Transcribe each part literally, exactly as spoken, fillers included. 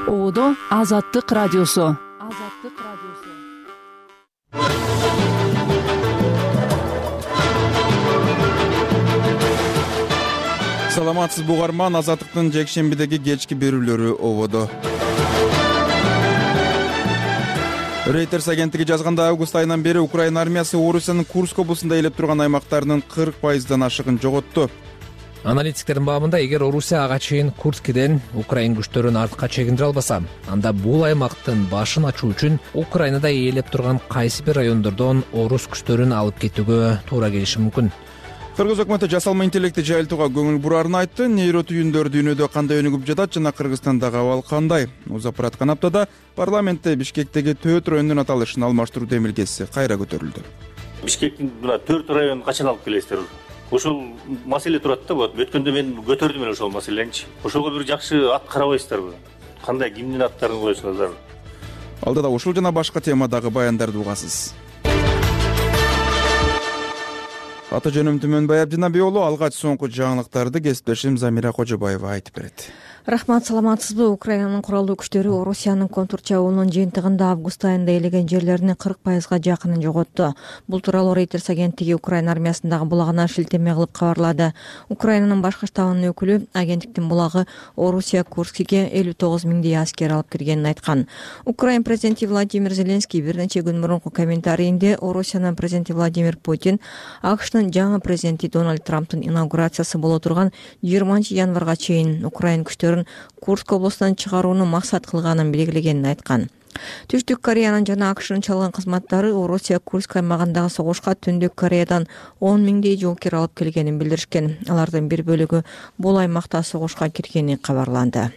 Оодо Азаттык радиосу. Азаттык радиосу. Саламатсыз бугарман, Азаттыктын жекшембидеги кечки берүүлөрү ободо. Reuters агенттиги жазганда, август айынан бери Украина армиясы Орусиянын Курск облусунда ээлеп турган аймактарынын кырк пайыздан ашыгын жоготту. Аналитиктердин баамында, эгер Орусия ага чейин Курскиден Украин күчтөрүн артка чегиндире албаса, анда бул аймактын башын ачуу үчүн Украинада ээлеп турган кайсы бир райондордон орус күчтөрүн алып кетүүгө туура келиши мүмкүн. Кыргыз өкмөтү жасалма интеллектти жайылтууга көңүл бурарын айтты. Нейро түйүндөр дүйнөдө кандай өнүгүп жатат жана Кыргызстандагы абал кандай? Узап бараткан аптада парламентте Бишкектеги төрт райондун аталышын алмаштыруу демилгеси кайра көтөрүлдү. Бишкектин мына төрт районун качан алып келесиздер? Ошол маселе турат да, вот өткөндө мен көтөрдүм эле ошол маселеничи. Ошого бир жакшы ат карабайсыздарбы? Кандай кимдин аттарын коесуңуздар? Алдыда ушул жана башка темадагы баяндарды угасыз. Аты жөнүм Түмөнбай Абдинабий уулу, алгач соңку жаңылыктарды кесиптешим Замира Кожобаева айтып берет. Рахмат, саламатсызбы? Украинанын куралдуу күчтөрү Орусиянын контур чабуулунун жыйынтыгында август айында ээлеген жерлеринин кырк пайызга жакынын жоготту. Бул тууралуу Reuters агенттиги Украина армиясындагы булагына шилтеме кылып кабарлады. Украинанын башкы штабынын өкүлү агенттиктин булагы Орусия Курскиге элүү тогуз миңдей аскер алып киргенин айткан. Украин президенти Владимир Зеленский бир нече күн мурунку комментарийинде Орусиянын президенти Владимир Путин АКШнын жаңы президенти Дональд Трамптын инаугурациясы боло турган жыйырманчы январга чейин Украин күчтөрү Курск облусунан чыгарууну максат кылганын белгилегенин айткан. Түштүк Кореянын жана АКШнын чалган кызматтары Орусия Курск аймагындагы согушка Түндүк Кореядан он миңдей жоокер алып келгенин билдиришкен. Алардын бир бөлүгү бул аймакта согушка киргени кабарланды.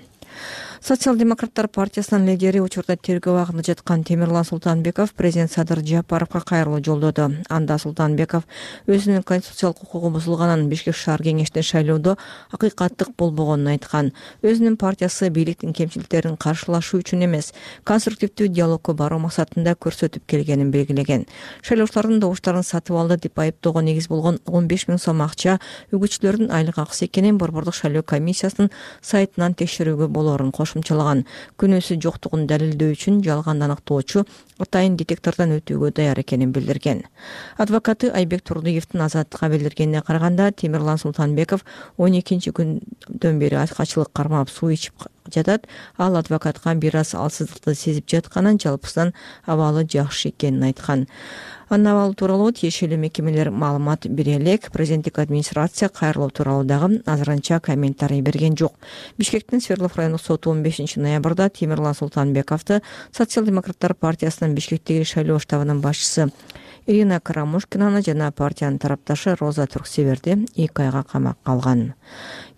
Социал-демократтар партиясынын лидери учурда тергөө абагында жаткан Темирлан Султанбеков президент Садыр Жапаровго кайрылуу жолдоду. Анда Султанбеков өзүнүн конституциялык укугу бузулганын Бишкек шаар кеңешине шайлоодо акыйкаттык болбогонун айткан. Өзүнүн партиясы бийликтин кемчиликтерин каршылашуу үчүн эмес, конструктивдүү диалогко баруу максатында көрсөтүп келгенин белгилеген. Шайлоочулардын добуштарын сатып алды деп айыптоого негиз болгон он беш миң сом акча үгүтчүлөрдүн айлык акысы экенин Борбордук шайлоо комиссиясынын сайтынан текшерүүгө болоорун кошумчалаган. Күнөөсү жоктугун далилдөө үчүн жалган аныктоочу атайын детектордон өтүүгө даяр экенин билдирген. Адвокаты Айбек Турдиевдин Азаттыкка билдиргенине караганда, Темирлан Султанбеков он экинчи күндөн бери ачкачылык кармап суу ичип жатат. Ал адвокатка бир аз алсыздыкты сезип жатканын, жалпысынан абалы жакшы экенин айткан. Анын абалы тууралуу тиешелүү мекемелер маалымат бере элек. Президенттик администрация кайрылуу тууралуу дагы азырынча комментарий берген жок. Бишкектин Свердлов райондук соту он бешинчи ноябрда Темирлан Султанбековду социал-демократтар партиясынын Бишкектеги шайлоо штабынын башчысы Ирина Карамушкинаны жана партиянын тарапташы Роза Турксеверди эки айга камакка алган.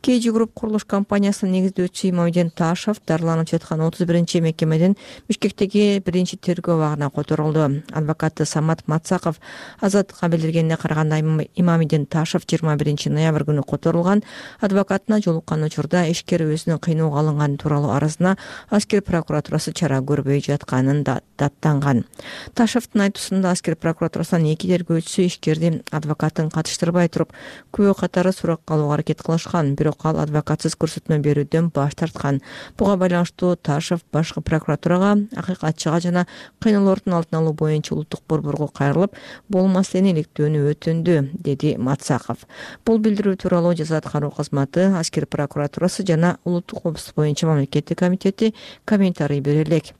Кей Групп курулуш компаниясынын негиздөөчүсү Имамиден Ташев дарланып жаткан отуз биринчи мекемеден Бишкектеги биринчи тергөө абагына которулду. Адвокаты Самат Мацаков Азаттыкка билдиргенине караганда, Имамиден Ташев жыйырма биринчи ноябрь күнү которулган. Адвокатына жолуккан учурда ишкер өзүнүн кыйноого алынганы тууралуу арызына аскер прокуратурасы чара көрбөй жатканын да даттанган. Ташевдин айтуусунда аскер прокуратурасынын эки тергөөчүсү ишкерди адвокатын катыштырбай туруп күбө катары суракка алууга аракет кылышкан. Бирок ал адвокатсыз көрсөтмө берүүдөн баш тарткан. Буга байланыштуу Ташев башкы прокуратурага, акыйкатчыга жана кыйноолордун алдын алуу боюнча улуттук борборго кайрылып, бул маселени иликтөөнү өтүндү, деди Мацаков. Бул билдирүү тууралуу жаза аткаруу кызматы, аскер прокуратурасы жана улуттук коопсуздук боюнча мамлекеттик комитети комментарий бере элек.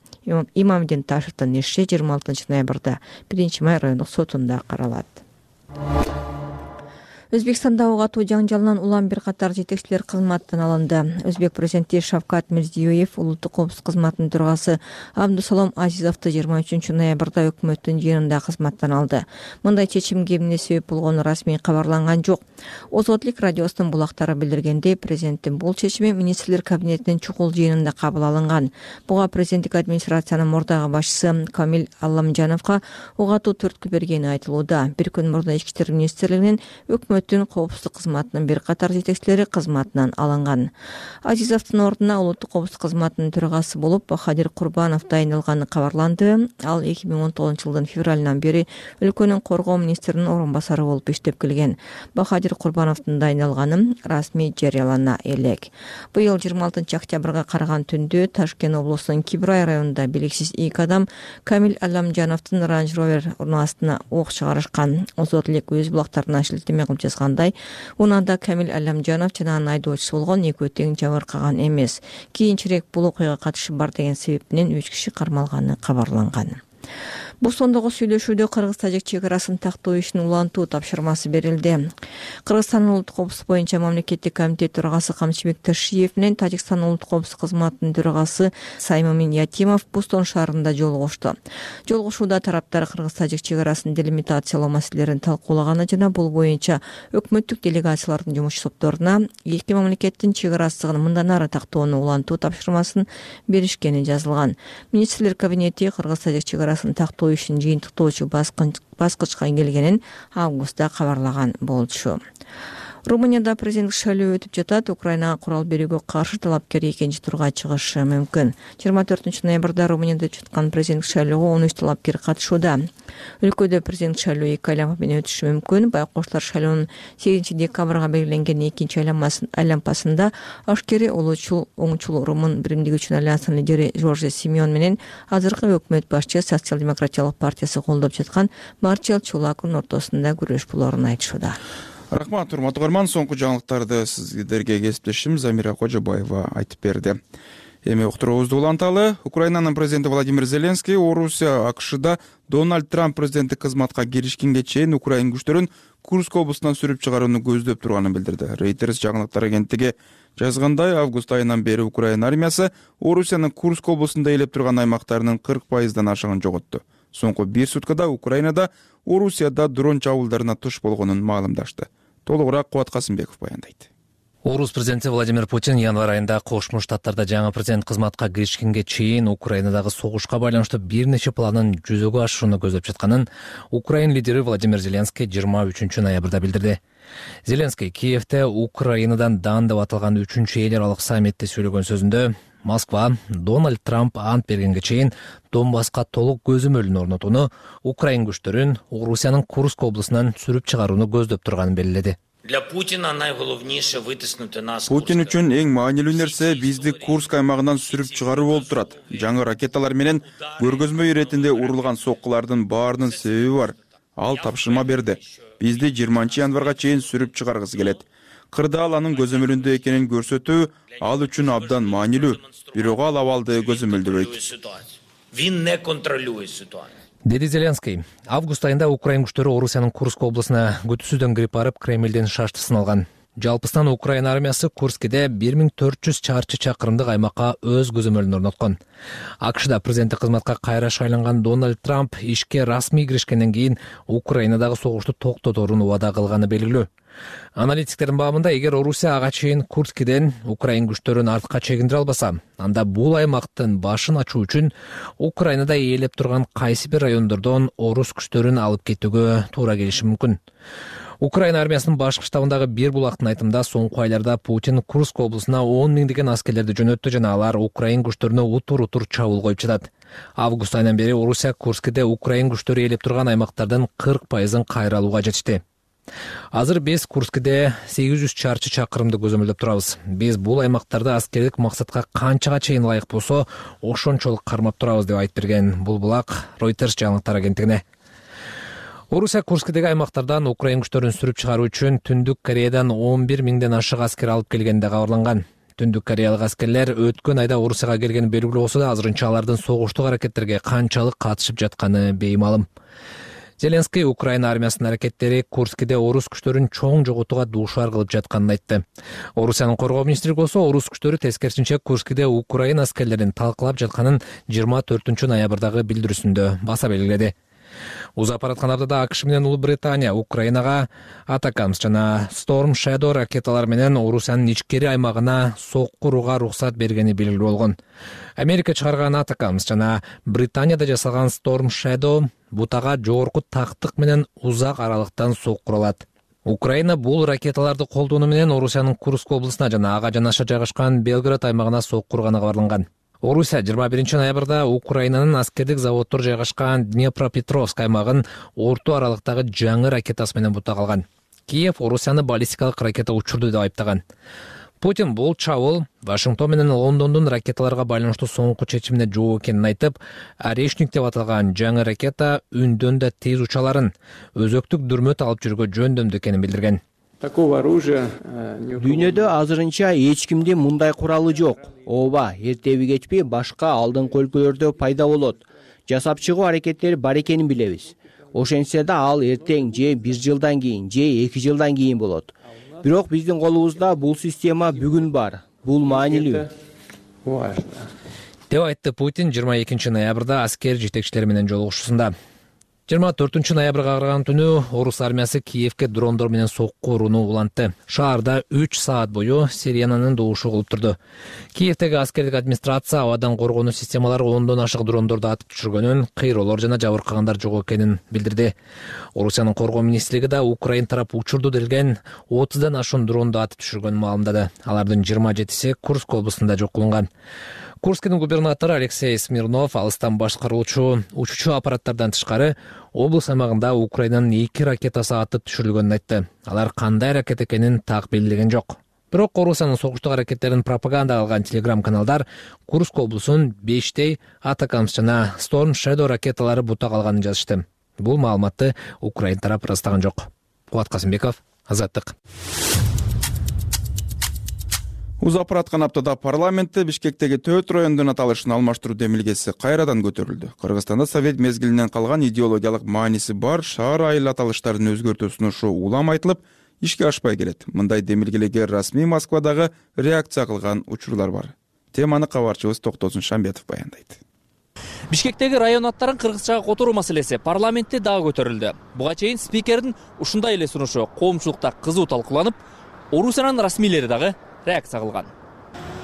Имамиден Ташевдин иши жыйырма алтынчы ноябрда биринчи май райондук сотунда каралат. Өзбекстанда ок атуу жаңжалынан улам бир катар жетекчилер кызматтан алынды. Өзбек президенти Шавкат Мирзиёев улуттук коопсуздук кызматынын төрагасы Абдусалом Азизовду жыйырма үчүнчү ноябрда өкмөттүн жыйынында кызматтан алды. Мындай чечимге эмне себеп болгону расмий кабарланган жок. Озодлик радиосунун булактары билдиргендей, президенттин бул чечими министрлер кабинетинин чукул жыйынында кабыл алынган. Буга президенттик администрациянын мурдагы башчысы Камил Алламжановго ок атуу түрткү бергени айтылууда. Бир күн мурда Ички иштер министрлигинин өкмөт өкмөттүн коопсуздук кызматынын бир катар жетекчилери кызматынан алынган. Азизовдун ордуна улуттук коопсуздук кызматынын төрагасы болуп Бахадир Курбанов дайындалганы кабарланды. Ал эки миң он тогузунчу жылдын февралынан бери өлкөнүн коргоо министринин орун басары болуп иштеп келген. Бахадир Курбановдун дайындалганы расмий жарыялана элек. Быйыл жыйырма алтынчы октябрга караган түндө Ташкент облусунун Кибрай районунда белгисиз эки адам Камил Алямжановдун Range Rover урнаасына ок чыгарышкан. Озот элек өз булактарына шилтеме кылып жазгандай, унанда Камил Алямжанов жана анын айдоочусу болгон экөө тең жабыркаган эмес. Кийинчерээк бул окуяга катышы бар деген себеп менен үч киши кармалганы кабарланган. Бостондогу сүйлөшүүдө Кыргыз-Тажик чек арасын тактоо ишин улантуу тапшырмасы берилди. Кыргызстандын улуттук коопсуздук боюнча мамлекеттик комитет төрагасы Камчыбек Ташиев менен Тажикстандын улуттук коопсуздук кызматынын төрагасы Саймамин Ятимов Бостон шаарында жолугушту. Жолугушууда тараптар Кыргыз-Тажик чек арасын делимитациялоо маселелерин талкуулаганы жана бул боюнча өкмөттүк делегациялардын жумуш топторуна эки мамлекеттин чек арасыгын мындан ары тактоону улантуу тапшырмасын беришкени жазылган. Министрлер кабинети Кыргыз-Тажик чек арасын тактоо ишин жыйынтыктоочу баскычка келгенин августта кабарлаган болчу. Румынияда президенттик шайлоо өтүп жатат. Украинага курал берүүгө каршы талапкер экинчи турга чыгышы мүмкүн. жыйырма төртүнчү ноябрда Румынияда өтүп жаткан президенттик шайлоого он үч талапкер катышууда. Өлкөдө президенттик шайлоо эки айланма менен өтүшү мүмкүн. Байкоштор шайлоонун сегизинчи декабрга белгиленген экинчи айланмасында ашкери улуучул оңчул румын биримдиги үчүн альянсынын лидери Жорже Симеон менен азыркы өкмөт башчы Социал-демократиялык партиясы колдоп жаткан Марчел Чулакунун ортосунда күрөш болоорун айтышууда. Рахмат, урматтуу көрөрман. Соңку жаңылыктарды сиздерге кесиптешим Замира Кожобаева айтып берди. Эми уктуруубузду уланталы. Украинанын президенти Владимир Зеленский Орусия АКШда Дональд Трамп президенттик кызматка киришкенге чейин Украин күчтөрүн Курск облусунан сүрүп чыгарууну көздөп турганын билдирди. Reuters жаңылыктар агенттиги жазгандай, август айынан бери Украин армиясы Орусиянын Курск облусунда ээлеп турган аймактарынын кырк пайыздан ашыгын жоготту. Соңку бир суткада Украинада Орусияда дрон чабуулдарына туш болгонун маалымдашты. Толугураак Кубат Касымбеков баяндайт. Орус президенти Владимир Путин январь айында Кошмо Штаттарда жаңы президент кызматка киришкенге чейин Украинадагы согушка байланыштуу бир нече планын жүзөгө ашырууну көздөп жатканын Украин лидери Владимир Зеленский жыйырма үчүнчү ноябрда билдирди. Зеленский Киевде Украинадан дан деп аталган үчүнчү эл аралык саммитте сүйлөгөн сөзүндө Москва Дональд Трамп ант бергенге чейин Донбасска толук көзөмөлүн орнотууну, Украин күчтөрүн Орусиянын Курск облусунан сүрүп чыгарууну көздөп турганын белгиледи. Для Путина найголовніше витиснути нас. Путин үчүн эң маанилүү нерсе бизди Курск аймагынан сүрүп чыгаруу болуп турат. Жаңы ракеталар менен көргөзмө иретинде урулган соккулардын баарынын себеби бар. Ал тапшырма берди. Бизди жыйырманчы январга чейин сүрүп чыгаргысы келет. Кырда ал анын көзөмөлүндө экенин көрсөтүү ал үчүн абдан маанилүү. Бирок ал абалды көзөмөлдөбөйт. Він не контролює ситуацию. Деди Зеленский. Август айында Украин күчтөрү Орусиянын Курск облусуна күтүүсүздөн кирип барып Кремлден шаштысын алган. Жалпысынан Украин армиясы Курскиде бир миң төрт жүз чарчы чакырымдык аймакка өз көзөмөлүн орноткон. АКШда президенттик кызматка кайра шайланган Дональд Трамп ишке расмий киришкенден кийин Украинадагы согушту токтоторун убада кылганы белгилүү. Аналитиктердин баамында, эгер Орусия ага чейин Курскиден Украин күчтөрүн артка чегиндире албаса, анда бул аймактын башын ачуу үчүн Украинада ээлеп турган кайсы бир райондордон орус күчтөрүн алып кетүүгө туура келиши мүмкүн. Украин армиясынын башкы штабындагы бир булактын айтымында, соңку айларда Путин Курск облусуна он миңдеген аскерлерди жөнөттү жана алар Украин күчтөрүнө утур-утур чабуул коюп жатат. Август айынан бери Орусия Курскиде Украин күчтөрү ээлеп турган аймактардын кырк пайызын кайра алууга жетишти. Азыр биз Курскиде сегиз жүз чарчы чакырымды көзөмөлдөп турабыз. Биз бул аймактарды аскердик максатка канчага чейин ылайык болсо, ошончолук кармап турабыз деп айтып берген бул булак Reuters жаңылыктар агенттигине. Орусия Курскидеги аймактардан Украин күчтөрүн сүрүп чыгаруу үчүн Түндүк Кореядан он бир миңден ашык аскер алып келгени да кабарланган. Түндүк Кореялык аскерлер өткөн айда Орусияга келгени белгилүү болсо да, азырынча алардын согуштук аракеттерге канчалык катышып жатканы беймалым. Зеленский Украина армиясынын аракеттери Курскиде орус күчтөрүн чоң жоготууга дуушар кылып жатканын айтты. Орусиянын коргоо министри болсо, орус күчтөрү тескерисинче Курскиде Украина аскерлерин талкалап жатканын жыйырма төртүнчү ноябрдагы билдирүүсүндө баса белгиледи. Узап бараткан аптада АКШ менен Улуу Британия Украинага Атакамс жана Storm Shadow ракеталар менен Орусиянын ичкери аймагына сокку урууга уруксат бергени белгилүү болгон. Америка чыгарган Атакамс жана Британияда жасалган Storm Shadow бутага жогорку тактык менен узак аралыктан сокку алат. Украина бул ракеталарды колдонуу менен Орусиянын Курск облусуна жана ага жанаша жайгашкан Белград аймагына сокку курганы кабарланган. Орусия жыйырма биринчи ноябрда Украинанын аскердик заводдор жайгашкан Днепропетровск аймагын орто аралыктагы жаңы ракетасы менен бута калган. Киев Орусияны баллистикалык ракета учурду деп айыптаган. Путин бул чабуул Вашингтон менен Лондондун ракеталарга байланыштуу соңку чечимине жооп экенин айтып, Орешник деп аталган жаңы ракета үндөн да тез учаларын, өзөктүк дүрмөт алып жүргө жөндөмдүү экенин билдирген. Дүйнөдө азырынча эч кимдин мындай куралы жок. Ооба, эртеби кечпи башка алдыңкы өлкөлөрдө пайда болот. Жасап чыгуу аракеттери бар экенин билебиз. Ошентсе да ал эртең же бир жылдан кийин, же эки жылдан кийин болот. Бирок биздин колубузда бул система бүгүн бар. Бул маанилүү. Деп айтты Путин жыйырма экинчи ноябрда аскер жетекчилери менен жолугушуусунда. жыйырма төртүнчү ноябрга караган түнү Орус армиясы Киевке дрондор менен сокку урууну улантты. Шаарда үч саат бою сиренанын добушу кылып турду. Киевдеги аскердик администрация абадан коргонуу системалары ондон ашык дрондорду атып түшүргөнүн, кыйроолор жана жабыркагандар жок экенин билдирди. Орусиянын коргоо министрлиги да Украин тарап учурду делген отуздан ашуун дронду атып түшүргөнүн маалымдады. Алардын жыйырма жетиси Курск облусунда жок кылынган. Курскдин губернатору Алексей Смирнов алыстан башкаруучу учуучу аппараттардан тышкары облус аймагында Украинанын эки ракетасы атып түшүрүлгөнүн айтты. Алар кандай ракета экенин так белгилеген жок. Бирок Орусиянын согуштук аракеттерин пропаганда кылган телеграм-каналдар Курск облусун бештей Атакамс жана Storm Shadow ракеталары бута калганын жазышты. Бул маалыматты Украин тарап ырастаган жок. Кубат Касымбеков, Азаттык. Узап бараткан аптада парламентте Бишкектеги төрт райондун аталышын алмаштыруу демилгеси кайрадан көтөрүлдү. Кыргызстанда совет мезгилинен калган идеологиялык мааниси бар шаар айыл аталыштарын өзгөртүү сунушу улам айтылып, ишке ашпай келет. Мындай демилгелерге расмий Москвадагы реакция кылган учурлар бар. Теманы кабарчыбыз Токтосун Шамбетов баяндайт. Бишкектеги район аттарын кыргызчага которуу маселеси парламентте дагы көтөрүлдү. Буга чейин спикердин ушундай эле сунушу коомчулукта кызуу талкууланып, Орусиянын расмийлери дагы реакция кылган.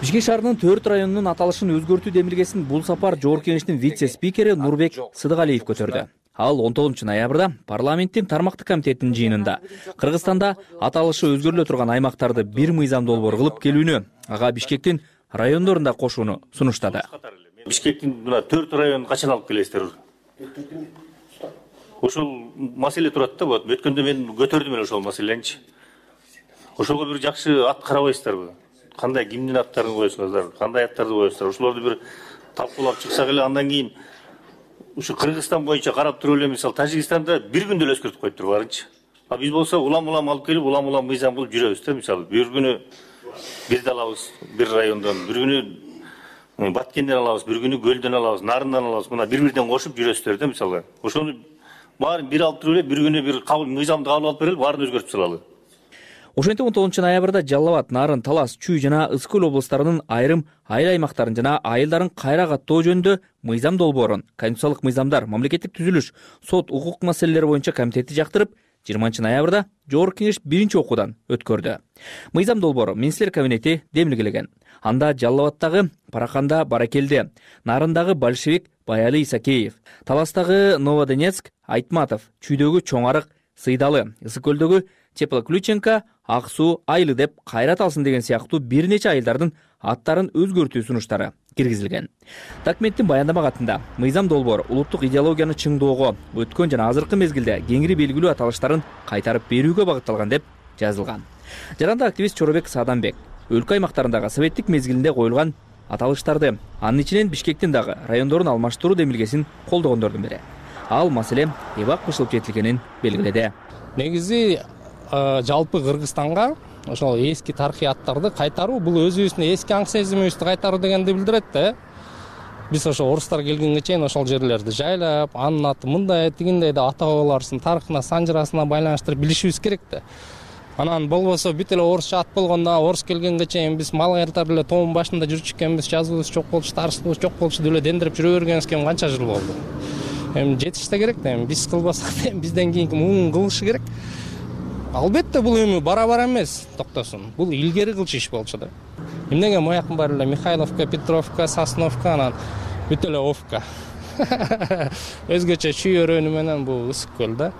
Бишкек шаарынын төрт районунун аталышын өзгөртүү демилгесин бул сапар Жогорку Кеңештин вице-спикери Нурбек Сыдыгалиев көтөрдү. Ал он тогузунчу ноябрда парламенттин тармактык комитетинин жыйынында Кыргызстанда аталышы өзгөрүлө турган аймактарды бир мыйзам долбоор кылып келүүнү, ага Бишкектин райондорун да кошууну сунуштады. Бишкектин мына төрт районун качан алып келесиздер? Ошол маселе турат да, вот өткөндө мен көтөрдүм эле ошол маселеничи. Ошого бир жакшы ат карабайсыздарбы? Кандай кимдин аттарын коесуңуздар, кандай аттарды коесуңуздар? Ошолорду бир талкуулап чыксак эле, андан кийин ушу Кыргызстан боюнча карап туруп эле, мисалы Тажикстанда бир күндө эле өзгөртүп коюп туруп барынчы. А биз болсо улам-улам алып келип, улам-улам мыйзам кылып жүрөбүз да, мисалы бир күнү бирди алабыз, бир райондон, бир күнү Баткенден алабыз, бир күнү Көлдөн алабыз, Нарындан алабыз. Мына бири-бирден кошуп жүрөсүздөр да, мисалы. Ошону баарын бир алып туруп эле, бир күнү бир кабыл мыйзамды кабыл алып берели, баарын өзгөртүп салалы. Ошентип он тогузунчу ноябрда Жалал абад, Нарын, Талас, Чүй жана Ысык көл облустарынын айрым айыл аймактарын жана айылдарын кайра каттоо жөнүндө мыйзам долбоорун Конституциялык мыйзамдар, мамлекеттик түзүлүш, сот, укук маселелери боюнча комитети жактырып, жыйырманчы ноябрда Жогорку Кеңеш биринчи окуудан өткөрдү. Мыйзам долбоору министрлер кабинети демилгелеген. Анда Жалал абадтагы Параканда Баракелде, Нарындагы Большевик Баяли Исакеев, Таластагы Новодонецк Айтматов, Чүйдөгү Чоң Арык Сыйдалы, Ысык көлдөгү Теплоключенко Ак суу айылы деп кайрат алсын деген сыяктуу бир нече айылдардын аттарын өзгөртүү сунуштары киргизилген. Документтин баяндама катында мыйзам долбоор улуттук идеологияны чыңдоого, өткөн жана азыркы мезгилде кеңири белгилүү аталыштарын кайтарып берүүгө багытталган деп жазылган. Жаранда активист Чоробек Сааданбек өлкө аймактарындагы советтик мезгилинде коюлган аталыштарды, анын ичинен Бишкектин дагы райондорун алмаштыруу демилгесин колдогондордун бири. Ал маселе эбак кышылып жетилгенин белгиледи. Негизи жалпы Кыргызстанга ошол эски тарыхый аттарды кайтаруу, бул өзүбүздүн эски аң сезимибизди кайтаруу дегенди билдирет да. Биз ошо орустар келгенге чейин ошол жерлерди жайлап, анын аты мындай тигиндей деп ата бабаларыбыздын тарыхына, санжырасына байланыштырып билишибиз керек да. Анан болбосо бүт эле орусча ат болгондо, орус келгенге чейин биз мал кайтарып эле тоонун башында жүрчү экенбиз, жазуубуз жок болчу, тарыхыбыз жок болчу деп эле дендирип жүрө бергенибизге канча жыл болду. Эми жетиште керек да, эми биз кылбасак да бизден кийинки муун кылышы керек. Албетте бул эми бара-бара эмес, токтосун. Бул илгери кылчу иш болчу да. Эмнеге моякын баары эле Михайловка, Петровка, Сосновка, анан бүт эле Овка. Өзгөчө Чүй өрөөнү менен бул Ысык көл да.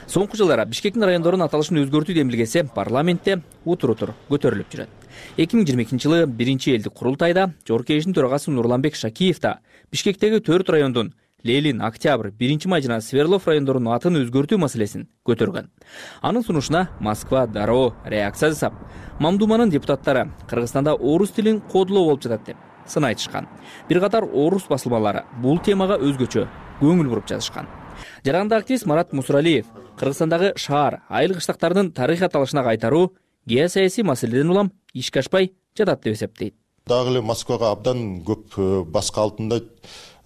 Соңку жылдары Бишкектин райондорунун аталышын өзгөртүү демилгеси парламентте утур-утур көтөрүлүп жүрөт. эки миң жыйырма экинчи жылы биринчи элдик курултайда Жогорку Кеңештин төрагасы Нурланбек Шакиев да Бишкектеги төрт райондун Ленин, Октябрь, биринчи май жана Свердлов райондорунун атын өзгөртүү маселесин көтөргөн. Анын сунушуна Москва дароо реакция жасап, Мамдуманын депутаттары Кыргызстанда орус тилин кодулоо болуп жатат деп сын айтышкан. Бир катар орус басылмалары бул темага өзгөчө көңүл буруп жазышкан. Жарандагы активист Марат Мусуралиев Кыргызстандагы шаар, айыл кыштактардын тарыхый аталышына кайтаруу геосаясий маселеден улам ишке ашпай жатат деп эсептейт. Дагы эле Москвага абдан көп баска алтында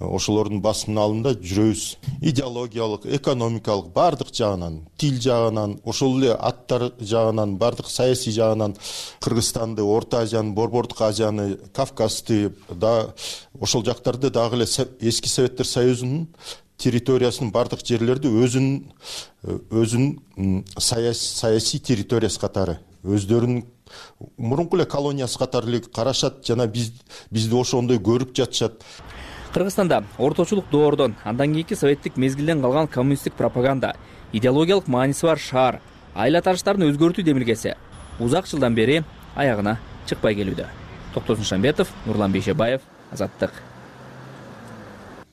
ошолордун басымын алында жүрөбүз. Идеологиялык, экономикалык бардык жагынан, тил жагынан, ошол эле аттар жагынан, бардык саясий жагынан Кыргызстанды, Орто Азияны, Борбордук Азияны, Кавказды да ошол жактарды дагы эле эски Советтер Союзунун территориясынын бардык жерлерди өзүнүн өзүнүн саясий территориясы катары, өздөрүнүн мурунку эле колониясы катары эле карашат жана биз бизди ошондой көрүп жатышат. Кыргызстанда орточулук доордон, андан кийинки советтик мезгилден калган коммунисттик пропаганда, идеологиялык мааниси бар шаар, айыл аталыштарын өзгөртүү демилгеси узак жылдан бери аягына чыкпай келүүдө. Токтосун Шамбетов, Нурлан Бейшебаев, Азаттык.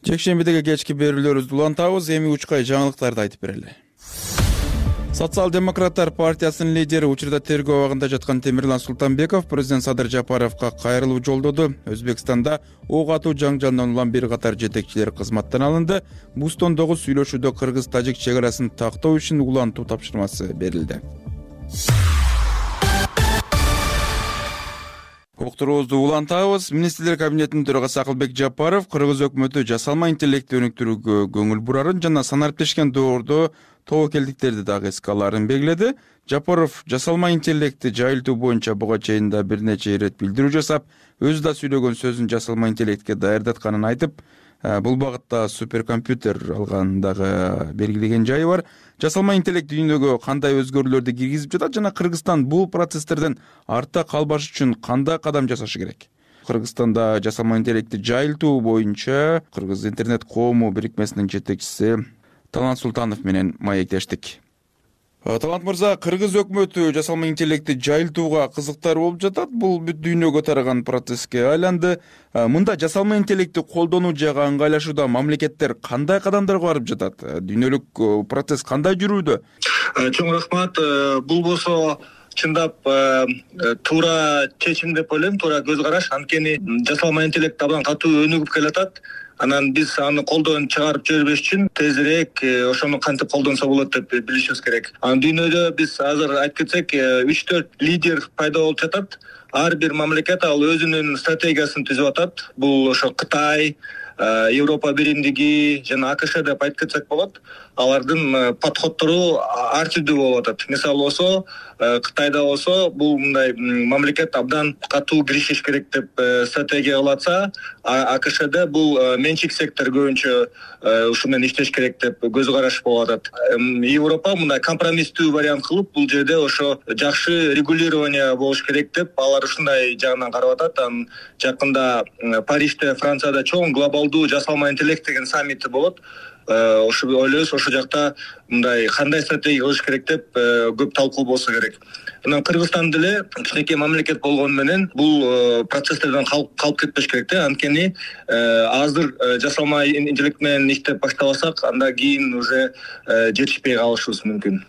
Жекшембидеги кечки берүүлөрүбүздү улантабыз, эми учкай жаңылыктарды айтып берели. Социал-демократтар партиясынын лидери учурда тергөө абагында жаткан Темирлан Султанбеков президент Садыр Жапаровго кайрылуу жолдоду. Өзбекстанда ок атуу жаңжалынан улам бир катар жетекчилер кызматтан алынды. Бустондогу сүйлөшүүдө кыргыз-тажик чек арасын тактоо үчүн улантуу тапшырмасы берилди. Уктуруубузду улантабыз. Министрлер кабинетинин төрагасы Акылбек Жапаров кыргыз өкмөтү жасалма интеллектти өнүктүрүүгө көңүл бурарын жана санариптешкен доордо тобокелдиктерди дагы эске аларын белгиледи. Жапаров жасалма интеллектти жайылтуу боюнча буга чейин да бир нече ирет билдирүү жасап, өзү да сүйлөгөн сөзүн жасалма интеллектке даярдатканын айтып, бул багытта суперкомпьютер алган дагы белгилеген жайы бар. Жасалма интеллект дүйнөгө кандай өзгөрүүлөрдү киргизип жатат жана Кыргызстан бул процесстерден артта калбаш үчүн кандай кадам жасашы керек? Кыргызстанда жасалма интеллектти жайылтуу боюнча Кыргыз интернет коому бирикмесинин жетекчиси Талант Султанов менен маектештик. Талант мырза, Кыргыз өкмөтү жасалма интеллектти жайылтууга кызыктар болуп жатат. Бул бүт дүйнөгө тараган процесске айланды. Мында жасалма интеллектти колдонуу жагы ыңгайлашууда мамлекеттер кандай кадамдарга барып жатат? Дүйнөлүк процесс кандай жүрүүдө? Чоң рахмат. Бул болсо чындап туура чечим деп ойлойм, туура көз караш. Анткени жасалма интеллект абдан катуу өнүгүп келатат. Анан биз аны колдон чыгарып жибербеш үчүн тезирээк ошону кантип колдонсо болот деп билишибиз керек. Анан дүйнөдө биз азыр айтып кетсек үч төрт лидер пайда болуп жатат. Ар бир мамлекет ал өзүнүн стратегиясын түзүп атат. Бул ошо Кытай, Европа биримдиги жана АКШ деп айтып кетсек болот. Алардын подходдору ар түрдүү болуп атат. Мисалы болсо, Кытайда болсо бул мындай мамлекет абдан катуу киришиш керек деп стратегия кылатса, АКШда бул менчик сектор көбүнчө ушу менен иштеш керек деп көз караш болуп атат. Европа мындай компромисстүү вариант кылып, бул жерде ошо жакшы регулирование болуш керек деп алар ушундай жагынан карап атат. Анан жакында Парижде, Францияда чоң глобалдуу жасалма интеллект деген саммити болот. Ошо ойлойбуз, ошол жакта мындай кандай стратегия кылыш керек деп көп талкуу болсо керек. Анан Кыргызстан деле кичинекей мамлекет болгону менен бул процесстерден калып кетпеш керек да. Анткени азыр жасалма интеллект менен иштеп баштабасак, андан кийин уже жетишпей калышыбыз мүмкүн.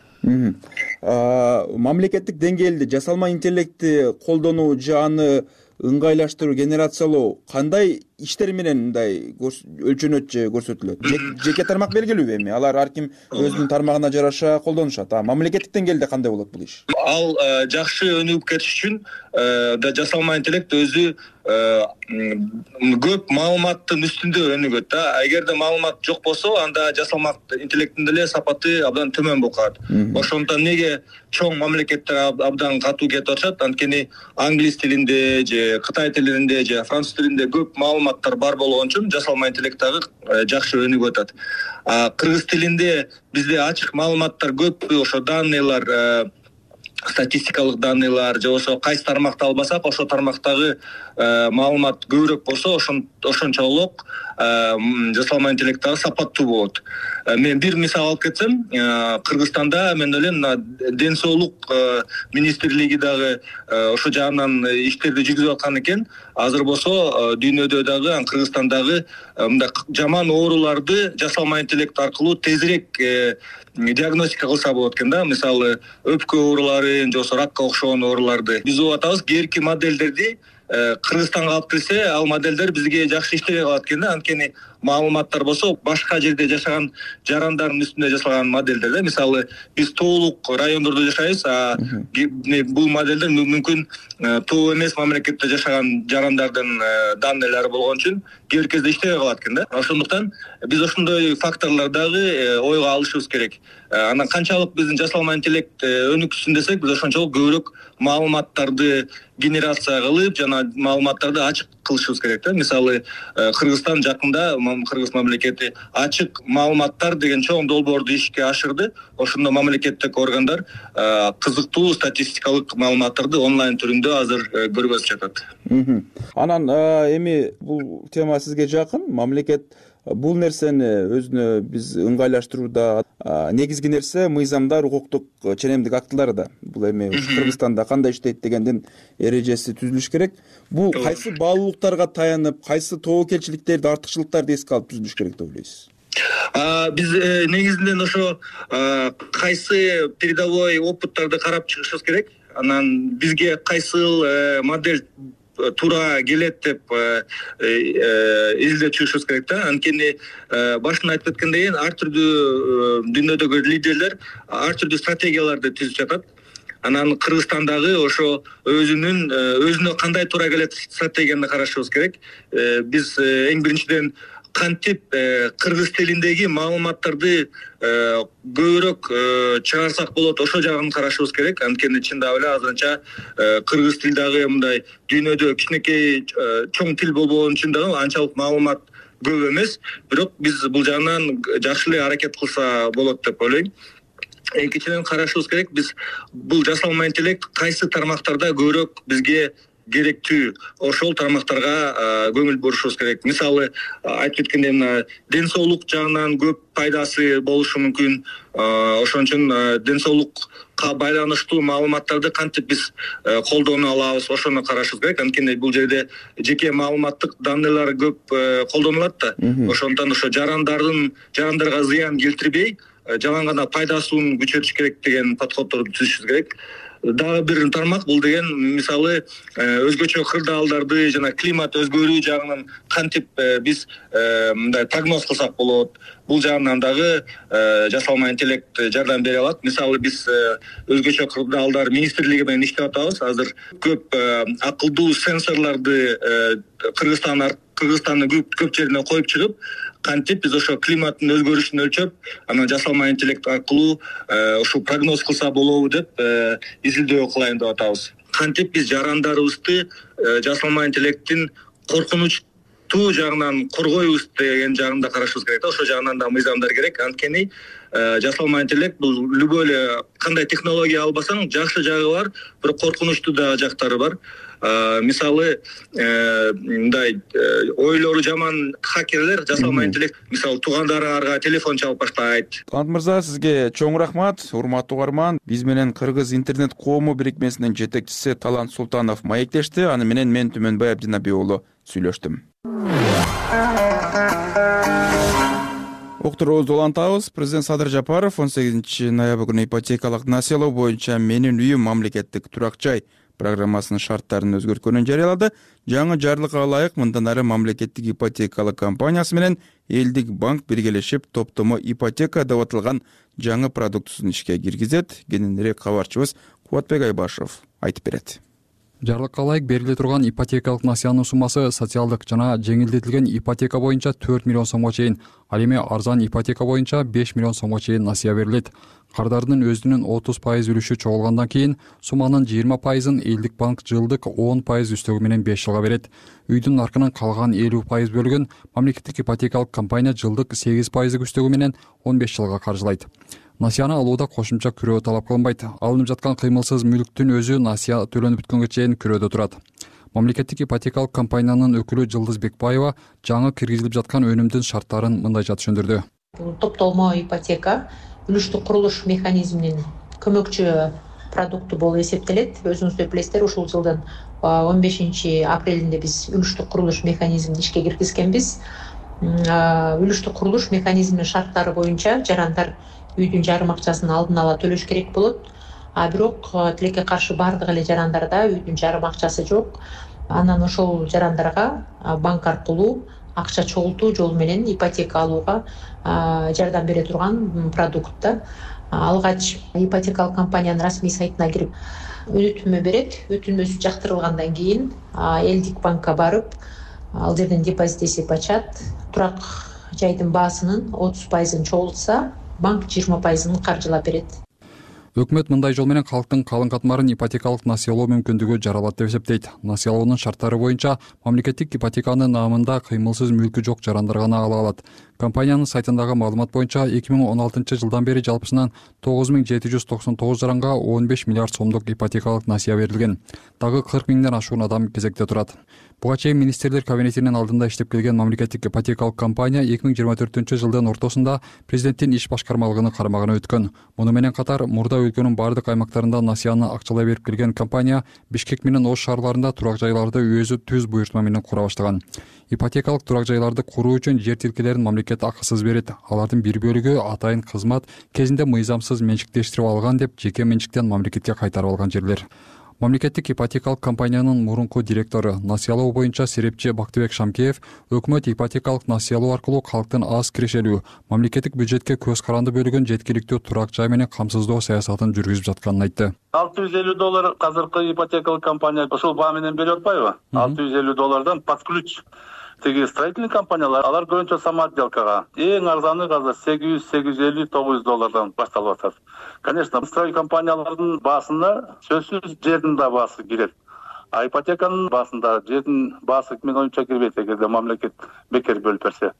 Мамлекеттик деңгээлде жасалма интеллектти колдонуу жааны ыңгайлаштыруу, генерациялоо кандай иштер менен мындай өлчөнөт же көрсөтүлөт? Жеке тармак белгилүүбү эми? Алар ар ким өзүнүн тармагына жараша колдонушат. А мамлекеттик деңгээлде кандай болот бул иш? Ал жакшы өнүгүп кетиш үчүн да жасалма интеллект өзү көп маалыматтын үстүндө өнүгөт да. Эгерде маалымат жок болсо, анда жасалма интеллекттин деле сапаты абдан төмөн болуп калат. Ошондуктан неге чоң мамлекеттер абдан катуу кетип атышат? Анткени англис тилинде же Кытай тилинде же француз тилинде көп маалыматтар бар болгон үчүн жасалма интеллект дагы жакшы өнүгүп атат. Кыргыз тилинде бизде ачык маалыматтар көп, ошо данныйлар статистикалык данныйлар же болбосо кайсы тармакты албасак ошол тармактагы маалымат көбүрөөк болсо ошончолук жасалма интеллект дагы сапаттуу болот. Мен бир мисал алып кетсем, Кыргызстанда мен ойлойм мына ден соолук министрлиги дагы ошо жагынан иштерди жүргүзүп аткан экен. Азыр болсо дүйнөдө дагы, Кыргызстандагы мындай жаман ооруларды жасалма интеллект аркылуу тезирээк диагностика кылса болот экен да. Мисалы, өпкө ооруларын, же болбосо ракка окшогон ооруларды. Биз угуп атабыз, кээинки моделдерди Кыргызстанга алып келсе, ал моделдер бизге жакшы иштебей калат экен да. Анткени маалыматтар болсо башка жерде жашаган жарандардын үстүндө жасалган моделдер да. Мисалы, биз тоолук райондордо жашайбыз, а бул моделдер мүмкүн тоо эмес мамлекетте жашаган жарандардын данныйлары болгон үчүн кээ бир кезде иштебей калат экен да. Ошондуктан биз ошондой факторлор дагы ойго алышыбыз керек. Анан канчалык биздин жасалма интеллект өнүксүн десек, биз ошончолук көбүрөөк маалыматтарды генерация кылып жана маалыматтарды ачык кылышыбыз керек да. Мисалы, Кыргызстан жакында, Кыргыз мамлекети ачык маалыматтар деген чоң долбоорду ишке ашырды. Ошондо мамлекеттик органдар кызыктуу статистикалык маалыматтарды онлайн түрүндө азыр көргөзүп жатат. Анан эми бул тема сизге жакын. Мамлекет бул нерсени өзүнө биз ыңгайлаштырууда негизги нерсе мыйзамдар, укуктук ченемдик актыларда. Бул эми Кыргызстанда кандай иштейт дегендин эрежеси түзүлүш керек. Бул кайсы баалуулуктарга таянып, кайсы тобокелчиликтерди, артыкчылыктарды эске алып түзүлүш керек деп ойлойсуз? Биз негизинен ошо кайсы передовой опыттарды карап чыгышыбыз керек. Анан бизге кайсыл модель туура келет деп изилдеп чыгышыбыз керек да. Анткени башында айтып кеткендей, ар түрдүү дүйнөдөгү лидерлер ар түрдүү стратегияларды түзүп жатат. Анан Кыргызстандагы ошо өзүнүн өзүнө кандай туура келет стратегияны карашыбыз керек. Биз эң биринчиден кантип кыргыз тилиндеги маалыматтарды көбүрөөк чыгарсак болот, ошол жагын карашыбыз керек. Анткени чындап эле азырынча кыргыз тил дагы мындай дүйнөдө кичинекей чоң тил болбогон үчүн дагы анчалык маалымат көп эмес. Бирок биз бул жагынан жакшы эле аракет кылса болот деп ойлойм. Экинчиден карашыбыз керек, биз бул жасалма интеллект кайсы тармактарда көбүрөөк бизге керектүү, ошол тармактарга көңүл бурушубуз керек. Мисалы, айтып кеткендей, мына ден соолук жагынан көп пайдасы болушу мүмкүн. Ошон үчүн ден соолукка байланыштуу маалыматтарды кантип биз колдоно алабыз, ошону карашыбыз керек. Анткени бул жерде жеке маалыматтык данныйлар көп колдонулат да. Ошондон ошо жарандардын жарандарга зыян келтирбей, жалаң гана пайдасын күчөтүш керек деген подходдорду түзүшүбүз керек. Дагы бир тармак бул деген, мисалы, өзгөчө кырдаалдарды жана климат өзгөрүү жагынан кантип биз мындай прогноз кылсак болот. Бул жагынан дагы жасалма интеллект жардам бере алат. Мисалы, биз өзгөчө кырдаалдар министрлиги менен иштеп атабыз. Азыр көп акылдуу сенсорлорду Кыргызстан Кыргызстандын көп жерине коюп чыгып, кантип биз ошо климаттын өзгөрүшүн өлчөп, анан жасалма интеллект аркылуу ушул прогноз кылса болобу деп изилдөө кылайын деп атабыз. Кантип биз жарандарыбызды жасалма интеллекттин коркунучтуу жагынан коргойбуз деген жагында карашыбыз керек да. Ошол жагынан да мыйзамдар керек. Анткени жасалма интеллект бул любой эле кандай технология албасаң жакшы жагы бар, бирок коркунучтуу да жактары бар. Мисалы, мындай ойлору жаман хакерлер жасалма интеллект, мисалы, туугандарыңарга телефон чалып баштайт. Талант мырза, сизге чоң рахмат. Урматтуу угарман, биз менен Кыргыз интернет коому бирикмесинин жетекчиси Талант Султанов маектешти. Аны менен мен Түмөнбай Абдинаби уулу сүйлөштүм. Уктуруубузду улантабыз. Президент Садыр Жапаров он сегизинчи ноябрь күнү ипотекалык населоо боюнча Менин үйүм мамлекеттик турак жай программасынын шарттарын өзгөрткөнүн жарыялады. Жаңы жарлыкка ылайык мындан ары мамлекеттик ипотекалык компаниясы менен элдик банк биргелешип топтомо ипотека деп аталган жаңы продуктусун ишке киргизет. Кененирээк кабарчыбыз Кубатбек Айбашев айтып берет. Жарлыкка ылайык бериле турган ипотекалык насыянын суммасы социалдык жана жеңилдетилген ипотека боюнча төрт миллион сомго чейин Ал эми арзан ипотека боюнча беш миллион сомго чейин насыя берилет. Кардардын өзүнүн отуз пайыз үлүшү чогулгандан кийин сумманын жыйырма пайызын Элдик банк жылдык он пайыз үстөгү менен беш жылга берет. Үйдүн наркынын калган элүү пайыз бөлүгүн мамлекеттик ипотекалык компания жылдык сегиз пайыздык үстөгү менен он беш жылга каржылайт. Насыяны алууда кошумча күрөө талап кылынбайт. Алынып жаткан кыймылсыз мүлктүн өзү насыя төлөнүп бүткөнгө чейин күрөөдө турат. Мамлекеттик ипотекалык компаниянын өкүлү Жылдыз Бекбаева жаңы киргизилип жаткан өнүмдүн шарттарын мындайча түшүндүрдү. Бул топтолмо ипотека үлүштүк курулуш механизминин көмөкчү продукту болуп эсептелет. Өзүңүздөр билесиздер, ушул жылдын он бешинчи апрелинде биз үлүштүк курулуш механизмин ишке киргизгенбиз. Үлүштүк курулуш механизминин шарттары боюнча жарандар үйдүн жарым акчасын алдын ала төлөш керек болот. А бирок тилекке каршы бардык эле жарандарда үйдүн жарым акчасы жок. Анан ошол жарандарга банк аркылуу акча чогултуу жолу менен ипотека алууга жардам бере турган продукт. Алгач ипотекалык компаниянын расмий сайтына кирип өтүнмө берет. Өтүнмөсү жактырылгандан кийин Элдик банкка барып, ал жерден депозит эсеп ачат. Турак жайдын баасынын отуз пайызын чогултса, банк жыйырма пайызын каржылап берет. Өкмөт мындай жол менен калктын калың катмарын ипотекалык насыялоо мүмкүндүгү жаралат деп эсептейт. Насыялоонун шарттары боюнча мамлекеттик ипотеканын наамында кыймылсыз мүлкү жок жарандар гана ала алат. Компаниянын сайтындагы маалымат боюнча эки миң он алтынчы жылдан бери жалпысынан тогуз миң жети жүз токсон тогуз жаранга он беш миллиард сомдук ипотекалык насыя берилген. Дагы кырк миңден ашуун адам кезекте турат. Буга чейин министрлер кабинетинин алдында иштеп келген мамлекеттик ипотекалык компания эки миң жыйырма төртүнчү жылдын ортосунда президенттин иш башкармалыгынын карамагына өткөн. Муну менен катар мурда өлкөнүн бардык аймактарында насыяны акчалай берип келген компания Бишкек менен Ош шаарларында турак жайларды өзү түз буйртма менен кура баштаган. Ипотекалык турак жайларды куруу үчүн жер тилкелерин мамлекет акысыз берет. Алардын бир бөлүгү атайын кызмат кезинде мыйзамсыз менчиктештирип алган деп жеке менчиктен мамлекетке кайтарып алган жерлер. Мамлекеттик ипотекалык компаниянын мурунку директору, насыялоо боюнча серепчи Бактыбек Шамкеев өкмөт ипотекалык насыялоо аркылуу калктын аз кирешелүү, мамлекеттик бюджетке көз каранды бөлүгүн жеткиликтүү турак жай менен камсыздоо саясатын жүргүзүп жатканын айтты. алты жүз элүү доллар азыркы ипотекалык компания ошол баа менен берип атпайбы? алты жүз элүү доллардан под ключ. Теги строительный компаниялар, алар көбүнчө самоотделкага. Эң арзаны азыр сегиз жүз, сегиз жүз элүү, тогуз жүз доллардан башталып атат. Конечно, строй компаниялардын баасына сөзсүз жердин да баасы кирет. А ипотеканын баасында жердин баасы мен оюмча кирбейт, эгерде мамлекет бекер бөлүп берсе.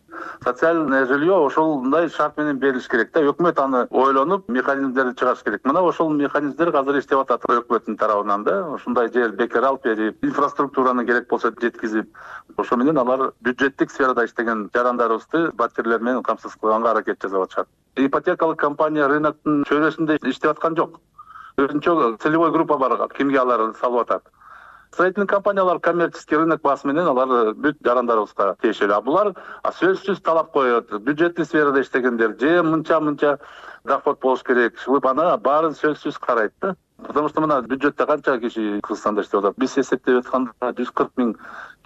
Социальное жилье ошолдай шарт менен берилиш керек да. Өкмөт аны ойлонуп, механизмдерди чыгарыш керек. Мына ошол механизмдер азыр иштеп атат өкмөттүн тарабынан да. Ушундай жер бекер алып берип, инфраструктураны керек болсо жеткизип, ошо менен алар бюджеттик сферада иштеген жарандарыбызды батирлер менен камсыз кылганга аракет жасап атышат. Ипотекалык компания рыноктун чөйрөсүндө иштеп аткан жок. Өзүнчө целевой группа бар, кимге алар салып атат. Строительный компаниялар коммерческий рынок баасы менен алар бүт жарандарыбызга тиешелүү. А булар сөзсүз талап коет. Бюджеттик сферада иштегендер же мынча-мынча доход болуш керек. Ушул аны баарын сөзсүз карайт да. Потому что мына бюджетте канча киши Кыргызстанда иштеп атат? Биз эсептеп атканда жүз кырк миң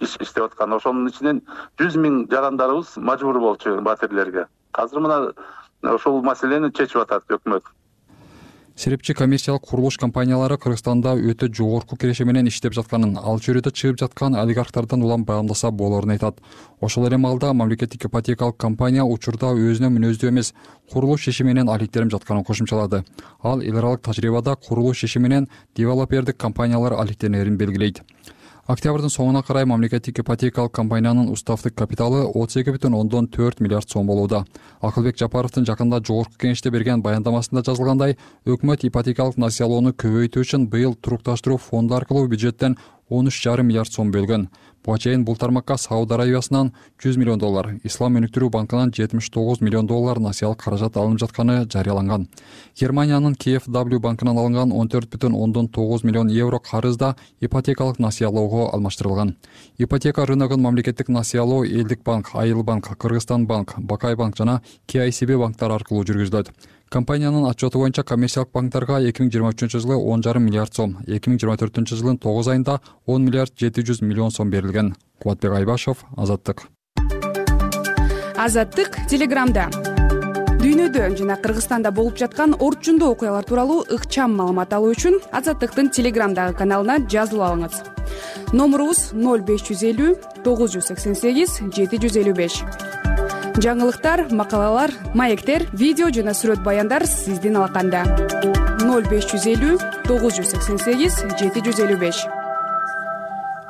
киши иштеп аткан. Ошонун ичинен жүз миң жарандарыбыз мажбур болчу батирлерге. Азыр мына ошол маселени чечип атат өкмөт. Серепчи коммерциялык курулуш компаниялары Кыргызстанда өтө жогорку киреше менен иштеп жатканын, ал чөйрөдө чыгып жаткан олигархтардан улам баамдаса болорун айтат. Ошол эле маалда мамлекеттик ипотекалык компания учурда өзүнө мүнөздүү эмес курулуш иши менен алектенип жатканын кошумчалады. Ал эл аралык тажрыйбада курулуш иши менен девелопердик компаниялар алектенерин белгилейт. Октябрдын соңуна карай мамлекеттик ипотекалык компаниянын уставдык капиталы отуз эки бүтүн ондон төрт миллиард сом болууда. Акылбек Жапаровдун жакында жогорку кеңеште берген баяндамасында жазылгандай, өкмөт ипотекалык насыялоону көбөйтүү үчүн быйыл турукташтыруу фонду аркылуу бюджеттен он үч жарым миллиард сом бөлгөн. Буга чейин бул тармакка Сауд Арабиясынан жүз миллион доллар, Ислам өнүктүрүү банкынан жетимиш тогуз миллион доллар насыялык каражат алынып жатканы жарыяланган. Германиянын Кей эф дабл ю банкынан алынган он төрт бүтүн ондон тогуз миллион евро карыз да ипотекалык насыялоого алмаштырылган. Ипотека рыногун мамлекеттик насыялоо Элдик банк, Айыл банк, Кыргызстан банк, Бакай банк жана Кей ай си би банктар аркылуу жүргүзүлөт. Компаниянын отчету боюнча коммерциялык банктарга эки миң жыйырма үчүнчү жылы он жарым миллиард сом, эки миң жыйырма төртүнчү жылдын тогуз айында он миллиард жети жүз миллион сом берилген. Кубатбек Айбашев, Азаттык. Азаттык Телеграмда. Дүйнөдө жана Кыргызстанда болуп жаткан орчундуу окуялар тууралуу ыкчам маалымат алуу үчүн Азаттыктын Телеграмдагы каналына жазылып алыңыз. Номурубуз ноль беш жүз элүү тогуз жүз сексен сегиз жети жүз элүү беш. жаңылыктар, макалалар, маектер, видео жана сүрөт баяндар сиздин алаканда. ноль беш жүз элүү тогуз жүз сексен сегиз жети жүз элүү беш.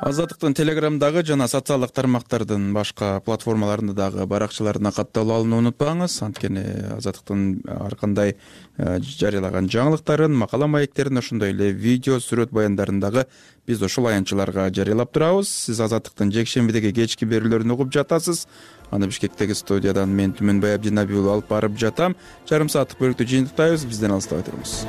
Азаттыктын телеграмдагы жана социалдык тармактардын башка платформаларында дагы баракчаларына катталып алууну унутпаңыз. Анткени Азаттыктын ар кандай жарыялаган жаңылыктарын, макала маектерин, ошондой эле видео, сүрөт баяндарын дагы биз ушул аянтчыларга жарыялап турабыз. Сиз Азаттыктын жекшембидеги кечки берүүлөрүн угуп жатасыз. Аны Бишкектеги студиядан мен Түмөнбай Абдинабий уулу алып барып жатам. Жарым сааттык бөлүктү жыйынтыктайбыз. Бизден алыстабай туруңуз.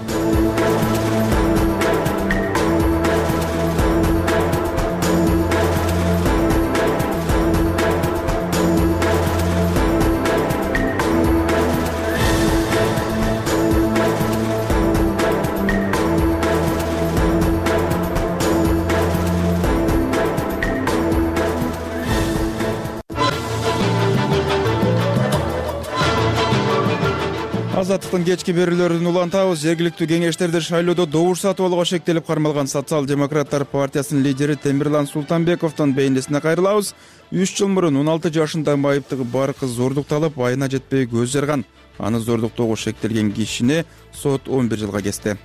Азаттыктын кечки берүүлөрүн улантабыз. Жергиликтүү кеңештерде шайлоодо добуш сатып алууга шектелип кармалган Социал-демократтар партиясынын лидери Темирлан Султанбековдун бейнесине кайрылабыз. үч жыл мурун он алты жашында майыптыгы бар кыз зордукталып, айына жетпей көз жарган. Аны зордуктоого шектелген кишини сот он бир жылга кести.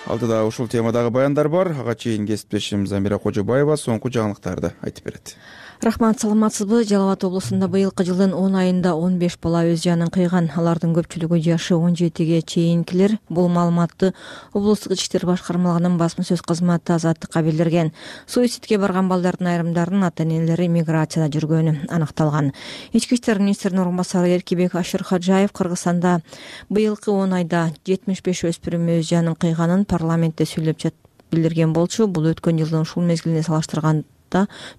Алдыда ушул темадагы баяндар бар. Ага чейин кесиптешим Замира Кожобаева соңку жаңылыктарды айтып берет. Рахмат, саламатсызбы? Жалал Абад облусунда быйылкы жылдын он айында он беш бала өз жанын кыйган. Алардын көпчүлүгү жашы он жетиге чейинкилер. Бул маалыматты облустук ички иштер башкармалыгынын басма сөз кызматы Азаттыкка билдирген. Суицидке барган балдардын айрымдарынын ата-энелери миграцияда жүргөнү аныкталган. Ички иштер министринин орун басары Эркибек Ашырхаджаев Кыргызстанда быйылкы он айда жетимиш беш өспүрүм өз жанын кыйганын парламентте сүйлөп жатып билдирген болчу. Бул өткөн жылдын ушул мезгилине салыштырганда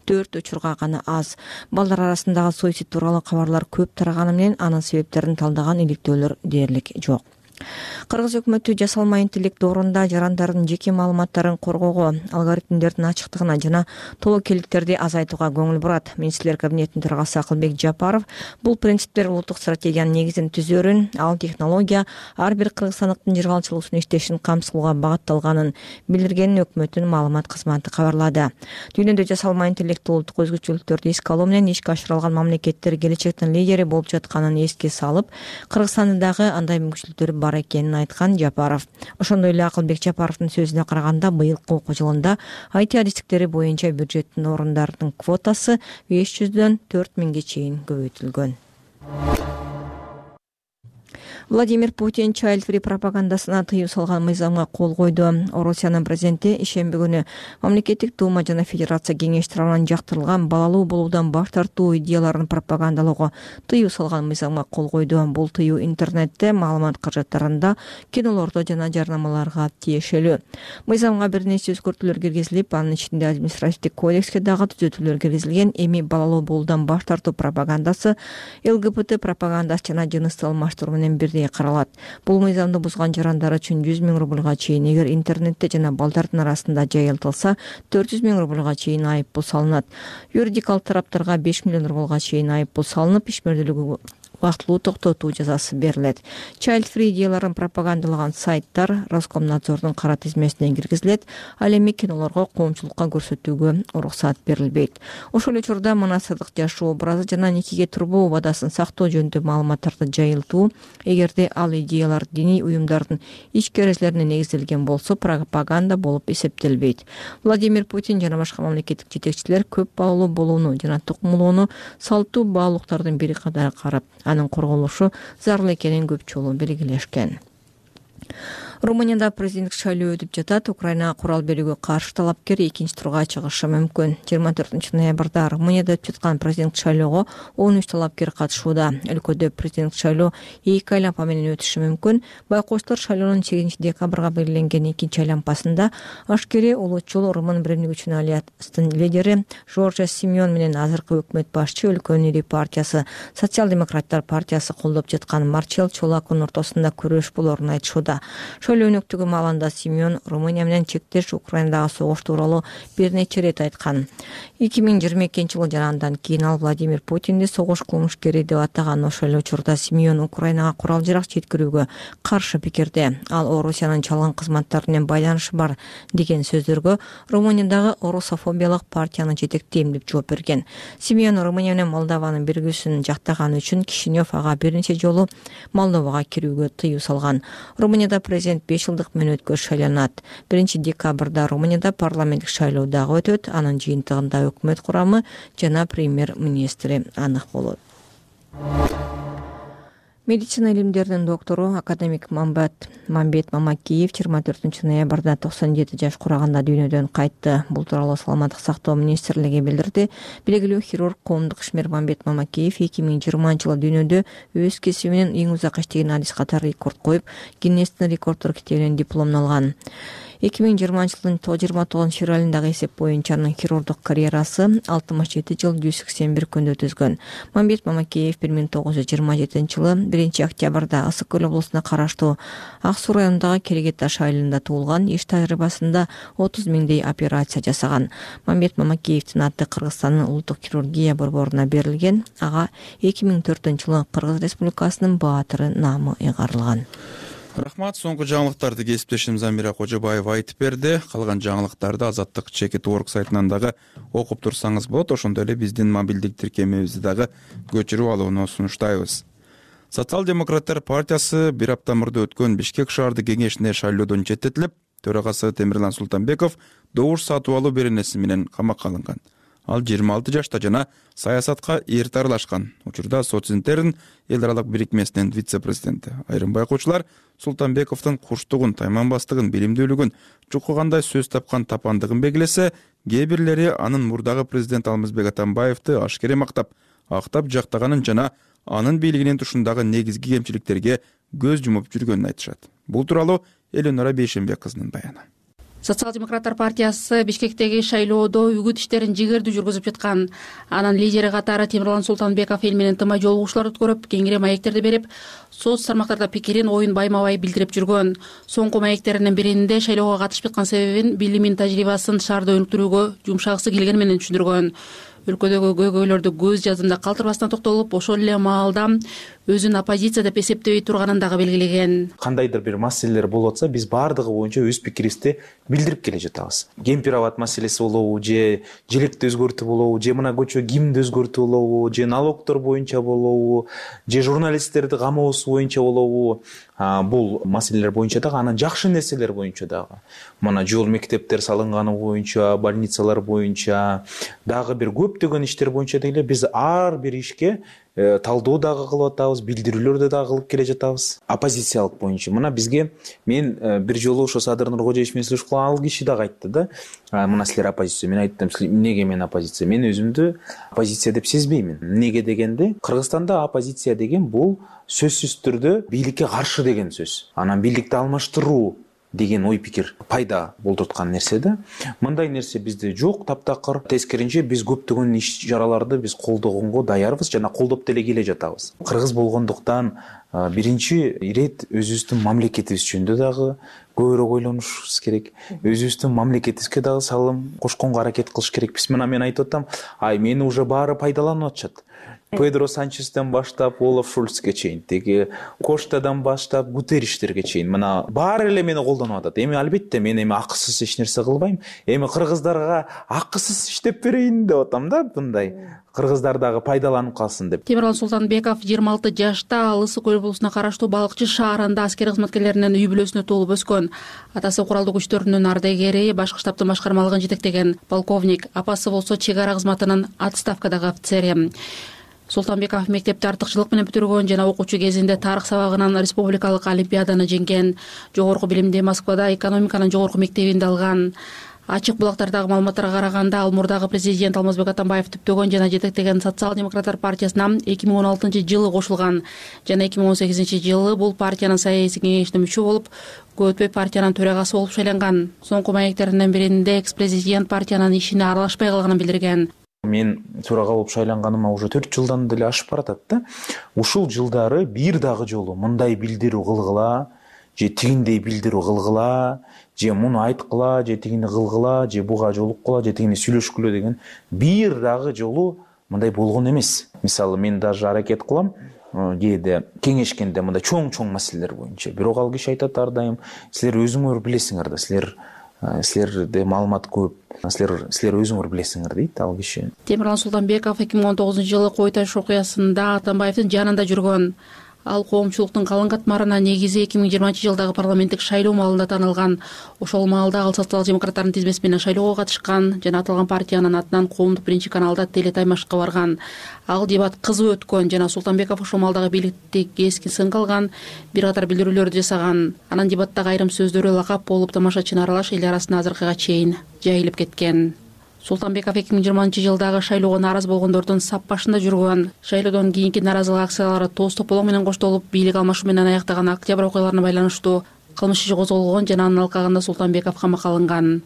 төрт учурга гана аз. Балдар арасындагы суицид тууралуу кабарлар көп тараганы менен анын себептерин талдаган иликтөөлөр дээрлик жок. Кыргыз өкмөтү жасалма интеллект доорунда жарандардын жеке маалыматтарын коргоого, алгоритмдердин ачыктыгына жана тобокелдиктерди азайтууга көңүл бурат. Министрлер кабинетинин төрагасы Акылбек Жапаров бул принциптер улуттук стратегиянын негизин түзөрүн, ал технология ар бир кыргызстандыктын жыргалчылыгын иштешин камсыздоого багытталганын билдиргенин өкмөттүн маалымат кызматы кабарлады. Дүйнөдө жасалма интеллект улуттук өзгөчөлүктөрдү эске алуу менен ишке ашырылган мамлекеттер келечектин лидери болуп жатканын эске салып, Кыргызстанда дагы андай мүмкүнчүлүктөр бар экенин айткан Жапаров. Ошондой эле Акылбек Жапаровдун сөзүнө караганда, быйылкы окуу жылында ай ти адистиктери боюнча бюджеттин орундардын квотасы беш жүздөн төрт миңге чейин көбөйтүлгөн. Владимир Путин child-free пропагандасына тыюу салган мыйзамга кол койду. Орусиянын президенти ишемби күнү мамлекеттик дума жана федерация кеңеш тарабынан жактырылган балалуу болуудан баш тартуу идеяларын пропагандалоого тыюу салган мыйзамга кол койду. Бул тыюу интернетте, маалымат каражаттарында, кинолордо жана жарнамаларга тиешелүү. Мыйзамга бир нече өзгөртүүлөр киргизилип, анын ичинде административдик кодекске дагы түзөтүүлөр киргизилген. Эми балалуу болуудан баш тартуу пропагандасы, эл гэ бэ тэ пропагандасы жана жыныстык алмаштыруу менен бирдей каралат. Бул мыйзамды бузган жарандар үчүн жүз миң рубльга чейин, эгер интернетте жана балдардын арасында жайылтылса, төрт жүз миң рубльга чейин айыппул салынат. Юридикалык тараптарга беш миллион рубльга чейин айыппул салынып, ишмердүүлүгү убактылуу токтотуу жазасы берилет. Child-free идеяларын пропагандалаган сайттар Роскомнадзордун кара тизмесине киргизилет. Ал эми кинолорго коомчулукка көрсөтүүгө уруксат берилбейт. Ошол эле учурда мунасырдык жашоо образы жана никеге турбоо убадасын сактоо жөнүндө маалыматтарды жайылтуу, эгерде ал идеялар диний уюмдардын ички эрежелерине негизделген болсо, пропаганда болуп эсептелбейт. Владимир Путин жана башка мамлекеттик жетекчилер көп балалуу болууну жана тукумулууну салттуу баалуулуктардын бири катары карап, анын корголушу зарыл экенин көп жолу белгилешкен. Румынияда президенттик шайлоо өтүп жатат. Украинага курал берүүгө каршы талапкер экинчи турга чыгышы мүмкүн. жыйырма төртүнчү ноябрда Румынияда өтүп жаткан президенттик шайлоого он үч талапкер катышууда. Өлкөдө президенттик шайлоо эки айланпа менен өтүшү мүмкүн. Байкоочулар шайлоонун сегизинчи декабрга белгиленген экинчи айланпасында ашкери улутчул Румын биримдик үчүн алlianстын лидери Жоржа Симеон менен азыркы өкмөт башчы өлкөнүн ири партиясы Социал-демократтар партиясы колдоп жаткан Марчел Чолакунун ортосунда күрөш болоорун айтышууда. шайлоо өнөктүгү маалында Симеон Румыния менен чектеш Украинадагы согуш тууралуу бир нече ирет айткан. эки миң жыйырма экинчи жылы жана андан кийин ал Владимир Путинди согуш кылмышкери деп атаган. Ошол эле учурда Симеон Украинага курал-жарак жеткирүүгө каршы пикирде. Ал Орусиянын чалгын кызматтары менен байланышы бар деген сөздөргө Румыниядагы орусофобиялык партияны жетектейм деп жооп берген. Симеон Румыния менен Молдованын биригүүсүн жактаганы үчүн Кишинев ага бир нече жолу Молдовага кирүүгө тыюу салган. Румынияда президент беш жылдык мөөнөткө шайланат. биринчи декабрда Румынияда парламенттик шайлоо дагы өтөт. Анын жыйынтыгында өкмөт курамы жана премьер-министри анык болот. Медицина илимдеринин доктору академик Мамбет Мамбет Мамакеев жыйырма төртүнчү ноябрда токсон жети жаш кураганда дүйнөдөн кайтты. Бул тууралуу саламаттык сактоо министрлиги билдирди. Белгилүү хирург, коомдук ишмер Мамбет Мамакеев эки миң жыйырманчы жылы дүйнөдө өз кесиби менен эң узак иштеген адис катары рекорд коюп, Гиннестин рекорддор китебинен дипломун алган. эки миң жыйырманчы жылдын жыйырма тогузунчу февралындагы эсеп боюнча анын хирургдук карьерасы алтымыш жети жыл жүз сексен бир күндө өткөзгөн. Мамбет Мамакеев бир миң тогуз жүз жыйырма жетинчи жылы биринчи октябрда Ысык көл облусуна караштуу Ак Суу районундагы Керегет Таш айылында туулган. Иш тажрыйбасында отуз миңдей операция жасаган. Мамбет Мамакеевдин аты Кыргызстандын улуттук хирургия борборуна берилген. Ага эки миң төртүнчү жылы Кыргыз Республикасынын баатыры наамы ыйгарылган. Рахмат. Соңку жаңылыктарды кесиптешим Замира Кожобаева айтып берди. Калган жаңылыктарды Азаттык чекит орг сайтынан дагы окуп турсаңыз болот. Ошондой эле биздин мобилдик тиркемебизди дагы көчүрүп алууну сунуштайбыз. Социал-демократтар партиясы бир апта мурда өткөн Бишкек шаардык кеңешине шайлоодон четтетилип, төрагасы Темирлан Султанбеков добуш сатып алуу беренеси менен камакка алынган. Ал жыйырма алты жашта жана саясатка эрте аралашкан. Учурда Социнтерн эл аралык бирикмесинин вице-президенти. Айрым байкоочулар Султанбековдун курчтугун, тайманбастыгын, билимдүүлүгүн, чукугандай сөз тапкан тапандыгын белгилесе, кээ бирлери анын мурдагы президент Алмазбек Атамбаевди ашкере мактап, актап жактаганын жана анын бийлигинин тушундагы негизги кемчиликтерге көз жумуп жүргөнүн айтышат. Бул тууралуу Эленора Бейшенбек кызынын баяны. Социал-демократтар партиясы Бишкектеги шайлоодо үгүт иштерин жигердүү жүргүзүп жаткан. Анын лидери катары Темирлан Султанбеков эл менен тымай жолугушуулар өткөрүп, кеңири маектерди берип, соц тармактарда пикирин, оюн байма-бай билдирип жүргөн. Соңку маектеринин биринде шайлоого катышып аткан себебин, билимин, тажрыйбасын шаарда өнүктүрүүгө жумшагысы келгени менен түшүндүргөн. Өлкөдөгү көйгөйлөрдү көз жазында калтырбастан токтолуп, ошол эле маалда өзүн оппозиция деп эсептебей турганын дагы белгилеген. Кандайдыр бир маселелер болуп атса, биз баардыгы боюнча өз пикирибизди билдирип келе жатабыз. Кемпир-абад маселеси болобу, же желекти өзгөртүү болобу, же мына көчө гимнди өзгөртүү болобу, же налогдор боюнча болобу, же журналисттерди камоосу боюнча болобу, бул маселелер боюнча дагы, анан жакшы нерселер боюнча дагы. Мына жол мектептер салынганы боюнча, больницалар боюнча, дагы бир көптөгөн иштер боюнча деле биз ар бир ишке талдоо дагы кылып атабыз, билдирүүлөрдү дагы кылып келе жатабыз. Оппозициялык боюнча мына бизге мен бир жолу ошо Садыр Нуркожоевич менен сүйлөшүп калган, ал киши дагы айтты да, мына силер оппозиция. Мен айттым, эмнеге мен оппозиция? Мен өзүмдү оппозиция деп сезбеймин. Эмнеге дегенде, Кыргызстанда оппозиция деген бул сөзсүз түрдө бийликке каршы деген сөз. Анан бийликти алмаштыруу деген ой пикир пайда болтурткан нерсе да. Мындай нерсе бизде жок, таптакыр. Тескеринче биз көптөгөн иш чараларды биз колдогонго даярбыз жана колдоп деле келе жатабыз. Кыргыз болгондуктан биринчи ирет өзүбүздүн мамлекетибиз жөнүндө дагы көбүрөөк ойлонушубуз керек. Өзүбүздүн мамлекетибизге дагы салым кошконго аракет кылыш керекпиз. Мына мен айтып атам, ай мени уже баары пайдаланып атышат. Педро Санчестен баштап Олаф Шольцке чейин, теги Коштадан баштап Гутерриштерге чейин, мына баары эле мени колдонуп атат. Эми албетте мен эми акысыз эч нерсе кылбайм. Эми кыргыздарга акысыз иштеп берейин деп атам да, мындай. Кыргыздар дагы пайдаланып калсын деп. Темирлан Султанбеков жыйырма алты жашта ал Ысык көл облусуна караштуу Балыкчы шаарында аскер кызматкерлеринин үй бүлөсүнө толуп өскөн. Атасы куралдуу күчтөрүнүн ардагери, башкы штабтын башкармалыгын жетектеген полковник, апасы болсо чек ара кызматынын отставкадагы офицери. Султанбеков мектепти артыкчылык менен бүтүргөн жана окуучу кезинде тарых сабагынан республикалык олимпиаданы жеңген. Жогорку билимди Москвада экономиканын жогорку мектебинде алган. Ачык булактардагы маалыматтарга караганда, ал мурдагы президент Алмазбек Атамбаев түптөгөн жана жетектеген Социал-демократтар партиясына эки миң он алтынчы жылы кошулган жана эки миң он сегизинчи жылы бул партиянын саясий кеңешине мүчө болуп, көп өтпөй партиянын төрагасы болуп шайланган. Соңку маектеринин биринде экс-президент партиянын ишине аралашпай калганын билдирген. Мен төрага болуп шайланганыма уже төрт жылдан деле ашып баратат да. Ушул жылдары бир дагы жолу мындай билдирүү кылгыла же тигиндей билдирүү кылгыла, же муну айткыла, же тигини кылгыла, же буга жолуккула, же тигини сүйлөшкүлө деген бир дагы жолу мындай болгон эмес. Мисалы мен даже аракет кылам кээде кеңешкенде мындай чоң-чоң маселелер боюнча. Бирок ал киши айтат ар дайым, силер өзүңөр билесиңер да, силер силерде маалымат көп, силер силер өзүңөр билесиңер дейт ал киши. Темирлан Султанбеков эки миң он тогузунчу жылы Кой Таш окуясында Атамбаевдин жанында жүргөн. Ал коомчулуктун калың катмарына негизи эки миң жыйырманчы жылдагы парламенттик шайлоо маалында таанылган. Ошол маалда ал социал-демократтардын тизмеси менен шайлоого катышкан жана аталган партиянын атынан коомдук биринчи каналда телетаймашка барган. Ал дебат кызуу өткөн жана Султанбеков ошол маалдагы бийликти кескин сынга алган, бир катар билдирүүлөрдү жасаган. Анан дебаттагы айрым сөздөрү лакап болуп тамашачыны аралаш эл арасына азыркыга чейин жайылып кеткен. Султанбеков эки миң жыйырманчы жылдагы шайлоого нааразы болгондордун сап башында жүргөн. Шайлоодон кийинки нааразылык акциялары тоз тополоң менен коштолуп, бийлик алмашуу менен аяктаган октябрь окуяларына байланыштуу кылмыш иши козголгон жана анын алкагында Султанбеков камакка алынган.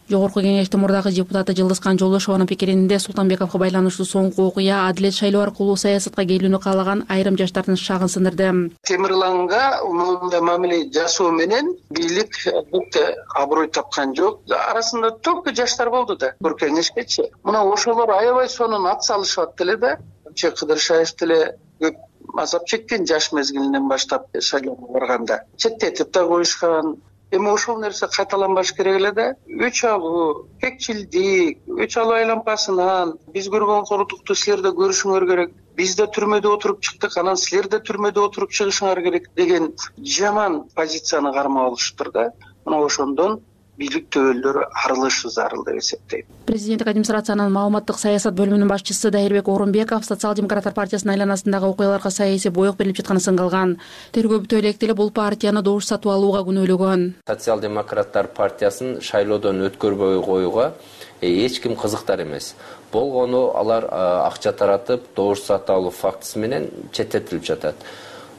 Жогорку кеңештин мурдагы депутаты Жылдызкан Жолдошованын пикиринде Султанбековго байланыштуу соңку окуя адилет шайлоо аркылуу саясатка келүүнү каалаган айрым жаштардын шагын сындырды. Темирланга мындай мамиле жасоо менен бийлик албетте аброй тапкан жок. Арасында только жаштар болду да. Бир кеңешкечи. Мына ошолор аябай сонун ат салышат деле да. Че Кыдыршаев деле көп азап чеккен жаш мезгилинен баштап шайлоого барганда. Четтетип да коюшкан. Эми ошол нерсе кайталанбаш керек эле да. Өч алуу, кекчилдик, өч алуу айлампасынан биз көргөн кордукту силер да көрүшүңөр керек. Биз да түрмөдө отуруп чыктык, анан силер да түрмөдө отуруп чыгышыңар керек деген жаман позицияны кармап алышыптыр да. Мына ошондон бийлик төбөлдөрү арылышы зарыл деп эсептейм. Президенттик администрациянын маалыматтык саясат бөлүмүнүн башчысы Дайырбек Орунбеков социал-демократтар партиясынын айланасындагы окуяларга саясий боек берилип жатканын сынга алган. Тергөө бүтө элек деле бул партияны добуш сатып алууга күнөөлөгөн. Социал-демократтар партиясын шайлоодон өткөрбөй коюуга эч ким кызыктар эмес. Болгону алар акча таратып, добуш сатып алуу фактысы менен четтетилип жатат.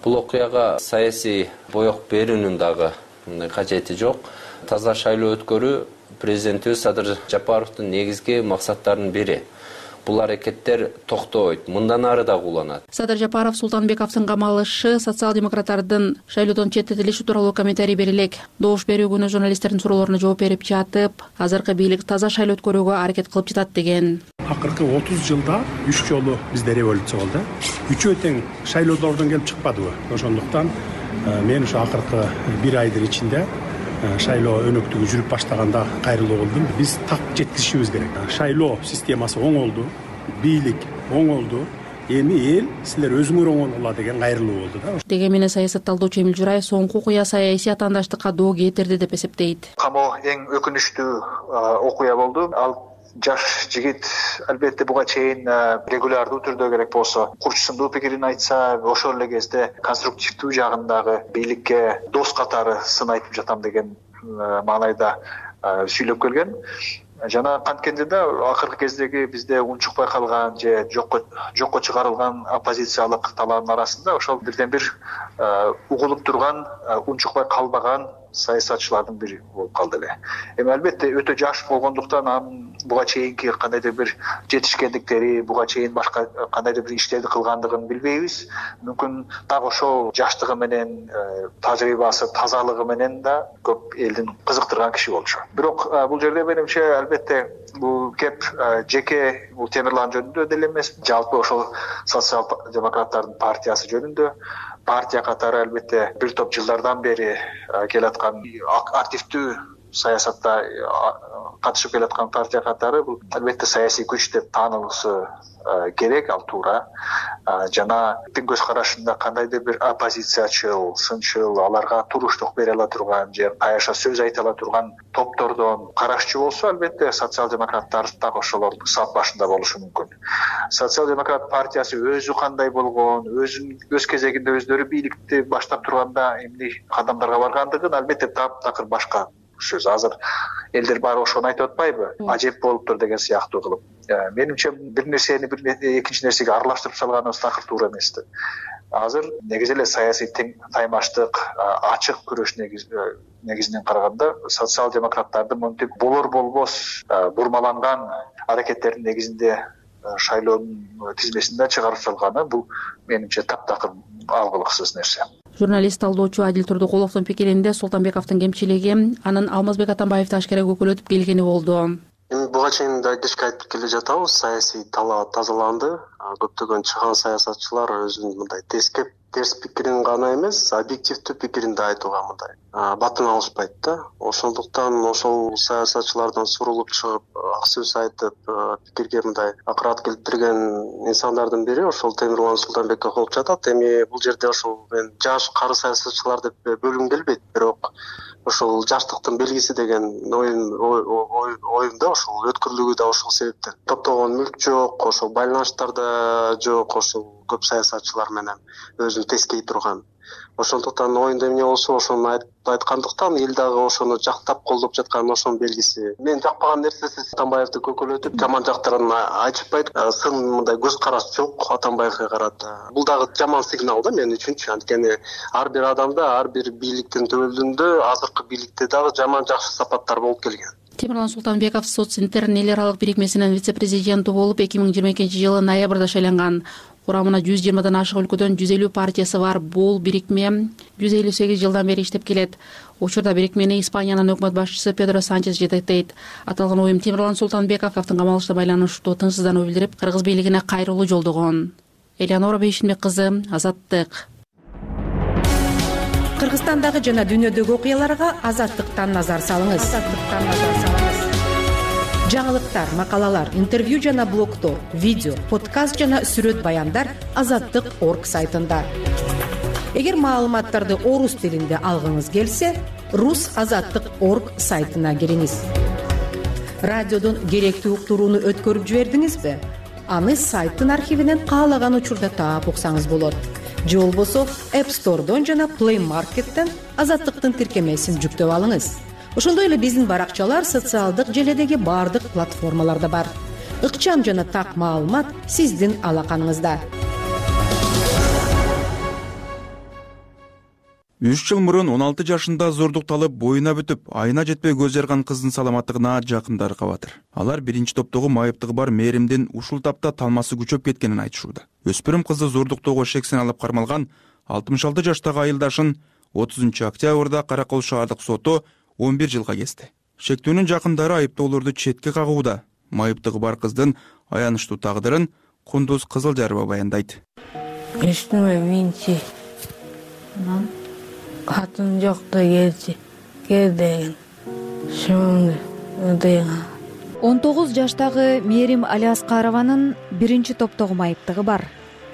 Бул окуяга саясий боек берүүнүн дагы кажети жок. Таза шайлоо өткөрүү президентибиз Садыр Жапаровдун негизги максаттарынын бири. Бул аракеттер токтобойт, мындан ары да уланат. Садыр Жапаров Султанбековдун камалышы социал-демократтардын шайлоодон четтетилиши тууралуу комментарий берилек. Добуш берүү күнү журналисттердин суроолоруна жооп берип жатып, азыркы бийлик таза шайлоо өткөрүүгө аракет кылып жатат деген. Акыркы отуз жылда үч жолу бизде революция болду. Үчөө тең шайлоодордон келип чыкпадыбы? Ошондуктан мен ушу акыркы бир айдын ичинде шайлоо өнөктүгү жүрүп баштаганда кайрылуу болдум. Биз так жеткиришибиз керек. Шайлоо системасы оңолду, бийлик оңолду. Эми эл силер өзүңөр оңолгула деген кайрылуу болду да. Деген менен саясат талдоочу Эмил Жураев соңку окуя саясий атаандаштыкка доо кетирди деп эсептейт. Камоо эң өкүнүчтүү окуя болду. Ал жаш жигит албетте буга чейин регулярдуу түрдө керек болсо курчусундуу пикирин айтса, ошол эле кезде конструктивдүү жагындагы бийликке дос катары сын айтып жатам деген маанайда сүйлөп келген. Жана канткенде да акыркы кездеги бизде унчукпай калган же жокко жокко чыгарылган оппозициялык талаанын арасында ошол бирден бир угулуп турган, унчукпай калбаган саясатчылардын бири болуп калды эле. Эми албетте өтө жаш болгондуктан анын буга чейинки кандайдыр бир жетишкендиктери, буга чейин башка кандайдыр бир иштерди кылгандыгын билбейбиз. Мүмкүн так ошол жаштыгы менен, тажрыйбасы, тазалыгы менен да көп элдин кызыктырган киши болчу. Бирок бул жерде менимче албетте бул кеп жеке бул Темирлан жөнүндө деле эмес, жалпы ошол социал-демократтардын партиясы жөнүндө. Партия катары албетте бир топ жылдардан бери келаткан активдүү саясатта катышып келаткан партия катары бул албетте саясий күч деп таанылышы керек, ал туура. Жана тиң көз карашында кандайдыр бир оппозициячыл, сынчыл, аларга туруштук бере ала турган же каяша сөз айта ала турган топтордон карашчу болсо, албетте социал-демократтар так ошолордун сап башында болушу мүмкүн. Социал-демократ партиясы өзү кандай болгон, өзүн өз кезегинде өздөрү бийликти баштап турганда эмне кадамдарга баргандыгын албетте таптакыр башка сөз. Азыр элдер баары ошону айтып атпайбы? Ажеп болуптур деген сыяктуу кылып. Менимче бир нерсени бир экинчи нерсеге аралаштырып салганыбыз такыр туура эмес. Азыр негизи эле саясий тең таймаштык, ачык күрөш негизинен караганда социал-демократтардын монтип болор болбос бурмаланган аракеттердин негизинде шайлоонун тизмесинде чыгарып салганы бул менимче таптакыр алгылыксыз нерсе. журналист талдоочу Адил Турдукуловдун пикиринде Султанбековдун кемчилиги анын Алмазбек Атамбаевди ашкера көкөлөтүп келгени болду. Эми буга чейин да айдышка айтып келе жатабыз, саясий талаа тазаланды. Көптөгөн чыган саясатчылар өзүнүн мындай тескеп терс пикирин гана эмес, объективдүү пикирин да айтууга мындай батын алышпайт да. Ошондуктан ошол саясатчылардан сурулуп чыгып, ак сөз айтып, пикирге мындай акырат келтирген инсандардын бири ошол Темирлан Султанбеков болуп жатат. Эми бул жерде ошол мен жаш кары саясатчылар деп бөлгүм келбейт, бирок ошол жаштыктын белгиси деген оюм оюмда ошол өткүрлүгү да ошол себептен. Топтогон мүлк жок, ошол байланыштар да жок, ошол көп саясатчылар менен өзүн тескей турган. Ошондуктан оюнда эмне болсо ошону айткандыктан эл дагы ошону жактап колдоп жаткан ошонун белгиси. Мен жакпаган нерсеси Атамбаевди көкөлөтүп, жаман жактарын айтышпайт, сын мындай көз караш жок Атамбаевге карата. Бул дагы жаман сигнал да мен үчүнчү. Анткени ар бир адамда, ар бир бийликтин төбөлүндө, азыркы бийликте дагы жаман жакшы сапаттар болуп келген. Темирлан Султанбеков Социнтер эл аралык бирикмесинин вице-президенти болуп эки миң жыйырма экинчи жылы ноябрда шайланган. Курамына жүз жыйырмадан ашык өлкөдөн жүз элүү партиясы бар. Бул бирикме жүз элүү сегиз жылдан бери иштеп келет. Учурда бирикмени Испаниянын өкмөт башчысы Педро Санчес жетектейт. Аталган оюм Темирлан Султанбековдун камалышына байланыштуу тынчсыздануу билдирип, кыргыз бийлигине кайрылуу жолдогон. Элеонора Бейшинбек кызы, Азаттык. Кыргызстандагы жана дүйнөдөгү окуяларга Азаттыктан назар салыңыз. Азаттыктан назар салыңыз. Жаңылыктар, макалалар, интервью жана блогдор, видео, подкаст жана сүрөт баяндар азаттык точка орг сайтында. Эгер маалыматтарды орус тилинде алгыңыз келсе, рус азаттык точка орг сайтына кириңиз. Радиодон керектүү уктурууну өткөрүп жибердиңизби? Аны сайттын архивинен каалаган учурда таап уксаңыз болот. Же болбосо App Store'дон жана Play Market'тен азаттыктын тиркемесин жүктөп алыңыз. Ошондой эле биздин баракчалар социалдык желедеги бардык платформаларда бар. Ыкчам жана так маалымат сиздин алаканыңызда. үч жыл мурун он алты жашында зордукталып, боюна бүтүп, айына жетпей көз жарган кыздын саламаттыгына жакындары кабатыр. Алар биринчи топтогу майыптыгы бар Мээримдин ушул тапта талмасы күчөп кеткенин айтышууда. Өспүрүм кызды зордуктоого шексен алып кармалган алтымыш алты жаштагы айылдашын отузунчу октябрда Каракол шаардык соту он бир жылга кести. Шектүүнүн жакындары айыптоолорду четке кагууда. Майыптыгы бар кыздын аянычтуу тагдырын Кундуз Кызылжарова баяндайт. Эчтеме минчи. Катын жокто келчи. Кел деген. Шоңду деген. он тогуз жаштагы Мээрим Алиаскарованын биринчи топтогу майыптыгы бар.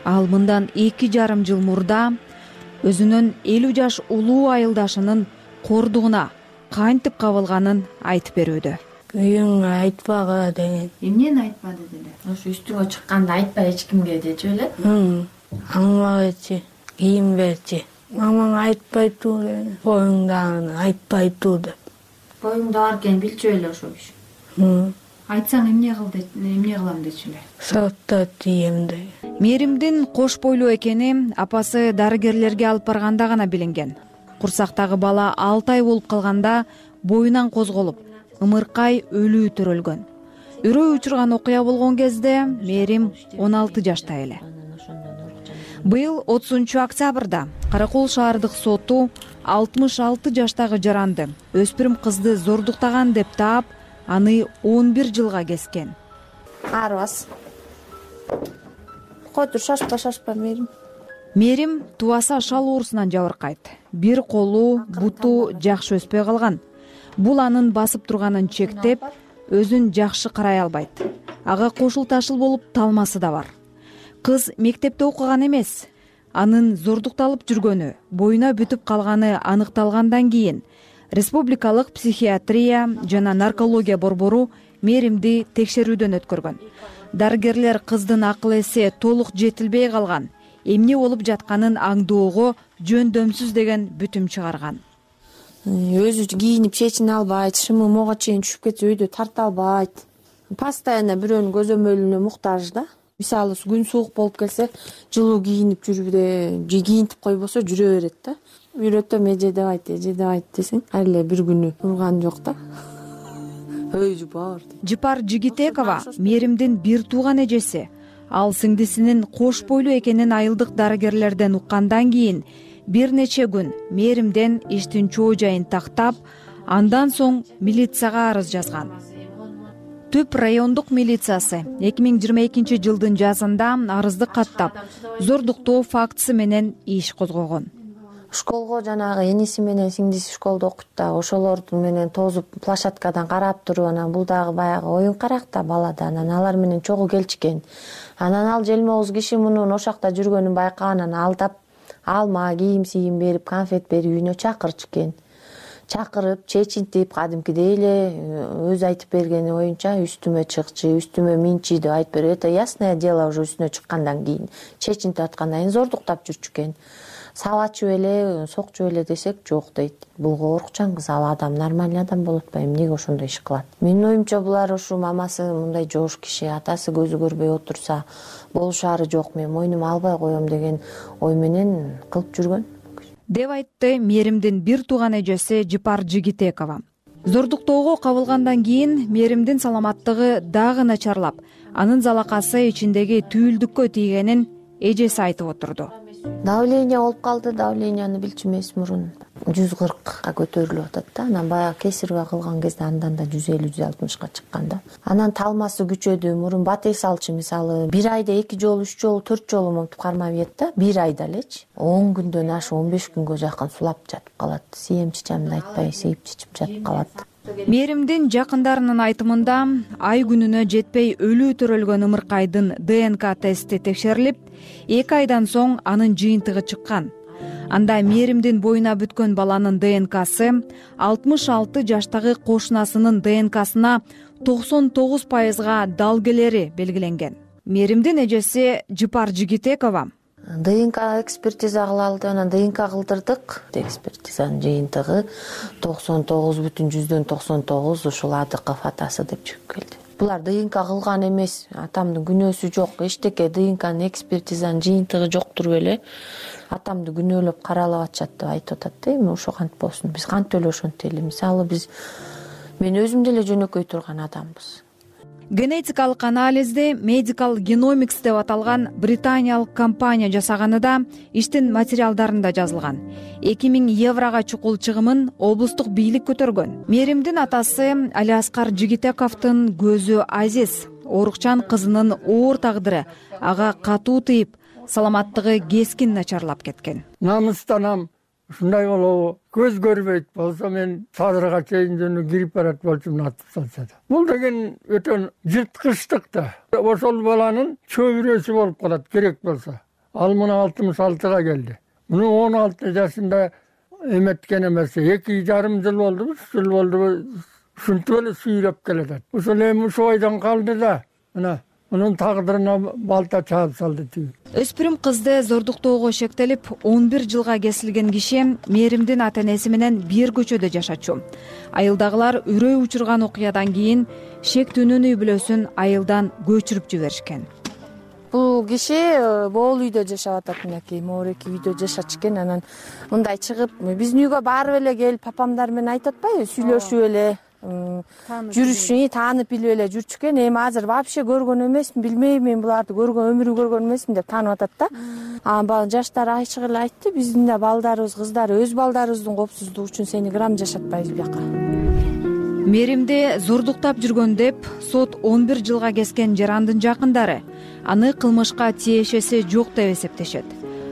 Ал мындан эки жарым жыл мурда өзүнүн элүү жаш улуу айылдашынын кордугуна кантип кабылганын айтып берүүдө. Күйөөңө айтпагы деген. Эмнени айтпады деле? Ошо үстүңө чыкканда айтпа эч кимге дечү эле. Аңмагычы, кийим берчи. Мамаң айтпайтуу деген. Коюңдагы айтпайтуу деп. Коюңда бар экен билчү эле ошо киши. Айтсаң эмне кыл деп, эмне кылам дечү эле. Сотто тийем деген. Мээримдин кош бойлуу экени апасы дарыгерлерге алып барганда гана билинген. Курсактагы бала алты ай болуп калганда боюнан козголуп, ымыркай өлүү төрөлгөн. Үрөө учурган окуя болгон кезде Мээрим он алты жашта эле. Быйыл отузунчу октябрда Каракол шаардык соту алтымыш алты жаштагы жаранды өспүрүм кызды зордуктаган деп таап, аны он бир жылга кескен. Арбас. Котур шашпа шашпа Мээрим. Мээрим тубаса шал оорусунан жабыркайт. Бир колу, буту жакшы өспөй калган. Бул анын басып турганын чектеп, өзүн жакшы карай албайт. Ага кошул ташыл болуп талмасы да бар. Кыз мектепте окуган эмес. Анын зордукталып жүргөнү, боюна бүтүп калганы аныкталгандан кийин Республикалык психиатрия жана наркология борбору Мээримди текшерүүдөн өткөргөн. Дарыгерлер кыздын акыл эси толук жетилбей калган, эмне болуп жатканын аңдоого жөндөмсүз деген бүтүм чыгарган. Өзү кийинип чечине албайт, шымы мого чейин түшүп кетсе үйдө тарта албайт. Постоянно бирөөнүн көзөмөлүнө муктаж да. Мисалы күн суук болуп келсе, жылуу кийинип жүрүп, же кийинтип койбосо жүрө берет да. Үйрөтөм, эже деп айт, эже деп айт десең, ар эле бир күнү урган жок да. Өй жупар. Жыпар Жигитекова Мээримдин бир тууган эжеси. Ал сиңдисинин кош бойлуу экенин айылдык дарыгерлерден уккандан кийин бир нече күн мээримден иштин чоо жайын тактап, андан соң милицияга арыз жазган. Түп райондук милициясы эки миң жыйырма экинчи жылдын жазында арызды каттап, зордуктоо фактысы менен иш козгогон. Школго жанагы эниси менен сиңдиси школдо окуйт да, ошолор менен тозуп площадкадан карап туруп, анан бул дагы баягы оюн карак да балада, анан алар менен чогуу келчүкен. Анан ал желмогуз киши мунун ошакта жүргөнүн байкаган, анан алдап алма, кийим сийим берип, конфет берип үйүнө чакырчу экен. Чакырып, чечинтип, кадимкидей эле өзү айтып бергени оюнча үстүмө чыкчы, үстүмө минчи деп айтып берип, это ясное дело уже үстүнө чыккандан кийин, чечинтип аткандан кийин зордуктап жүрчү экен. Сабачу эле, сокчу эле десек жок дейт. Бул коркчан кыз, ал адам нормальный адам болуп атпайбы, эмнеге ошондой иш кылат? Менин оюмча булар ушу мамасы мындай жоош киши, атасы көзү көрбөй отурса болушаары жок, мен мойнума албай коем деген ой менен кылып жүргөн деп айтты мээримдин бир тууган эжеси Жипар Жигитекова. Зордуктоого кабылгандан кийин мээримдин саламаттыгы дагы начарлап, анын залакасы ичиндеги түйүлдүккө тийгенин эжеси айтып отурду. Давление болуп калды, давленияны билчү эмес, мурун жүз кыркка көтөрүлүп атат да, анан баягы кесаревая кылган кезде андан да жүз элүү жүз алтымышка чыккан да. Анан талмасы күчөдү, мурун батек салчу, мисалы бир айда эки жолу, үч жолу, төрт жолу монтип кармап ийет да, бир айда элечи он күндөн ашып он беш күнгө жакын сулап жатып калат. Сием чичамды айтпай сейип чичип жатып калат. Мээримдин жакындарынын айтымында ай күнүнө жетпей өлүү төрөлгөн ымыркайдын ДНК тести текшерилип, эки айдан соң анын жыйынтыгы чыккан. Анда мээримдин боюна бүткөн баланын ДНКсы алтымыш алты жаштагы кошунасынын ДНКсына токсон тогуз пайызга дал келери белгиленген. Мээримдин эжеси Жипар Жигитекова ДНК экспертиза кылалды, анан ДНК кылдырдык. Экспертизанын жыйынтыгы токсон тогуз бүтүн жүздөн токсон тогуз ушул Адыков атасы деп чыгып келди. Булар ДНК кылган эмес, атамдын күнөөсү жок, эчтеке ДНКнын экспертизанын жыйынтыгы жоктур беле. Атамды күнөөлөп каралап атышат деп айтып атат да, эми ошо кантип болсун, биз кантип эле ошентели эле. Мисалы биз мен өзүм деле жөнөкөй турган адамбыз. Генетикалык анализди Medical Genomics деп аталган британиялык компания жасаганы да иштин материалдарында жазылган. эки миң еврога чукул чыгымын облустук бийлик көтөргөн. Мээримдин атасы Алиаскар Жигитековдун көзү азиз, оорукчан кызынын оор тагдыры ага катуу тийип, саламаттыгы кескин начарлап кеткен. Намыстанам, ушундай болобу? Көз көрбөйт болсо мен садырга чейин жөнү кирип барат болчумун атып салса да. Бул деген өтө жырткычтык да. Ошол баланын чөбүрөсү болуп калат керек болсо. Ал мына алтымыш алтыга келди. Муну он алты жашында эметкен эмес. эки жарым жыл болду, үч жыл болду. Ушинтип эле сүйрөп келатат. Ошол эми ушул ойдон калды да. Мына мунун тагдырына балта чаап салды тиги. Өспүрүм кызды зордуктоого шектелип он бир жылга кесилген киши мээримдин ата-энеси менен бир көчөдө жашачу. Айылдагылар үрөй учурган окуядан кийин шектүүнүн үй бүлөсүн айылдан көчүрүп жиберишкен. Бул киши моол үйдө жашап атат, мынакей моореки үйдө жашачу экен. Анан мындай чыгып биздин үйгө барып эле келип папамдар менен айтып атпайбы, сүйлөшүп эле жүрүшүн таанып билип эле жүрчү экен. Эми азыр вообще көргөн эмесмин, билбейм, мен буларды көргөн өмүрү көргөн эмесмин деп таанып атат да. Анан жаштар ачык эле айтты, биздин да балдарыбыз, кыздары өз балдарыбыздын коопсуздугу үчүн сени грамм жашатпайбыз бияка. Мээримди зордуктап жүргөн деп сот он бир жылга кескен жарандын жакындары аны кылмышка тиешеси жок деп эсептешет.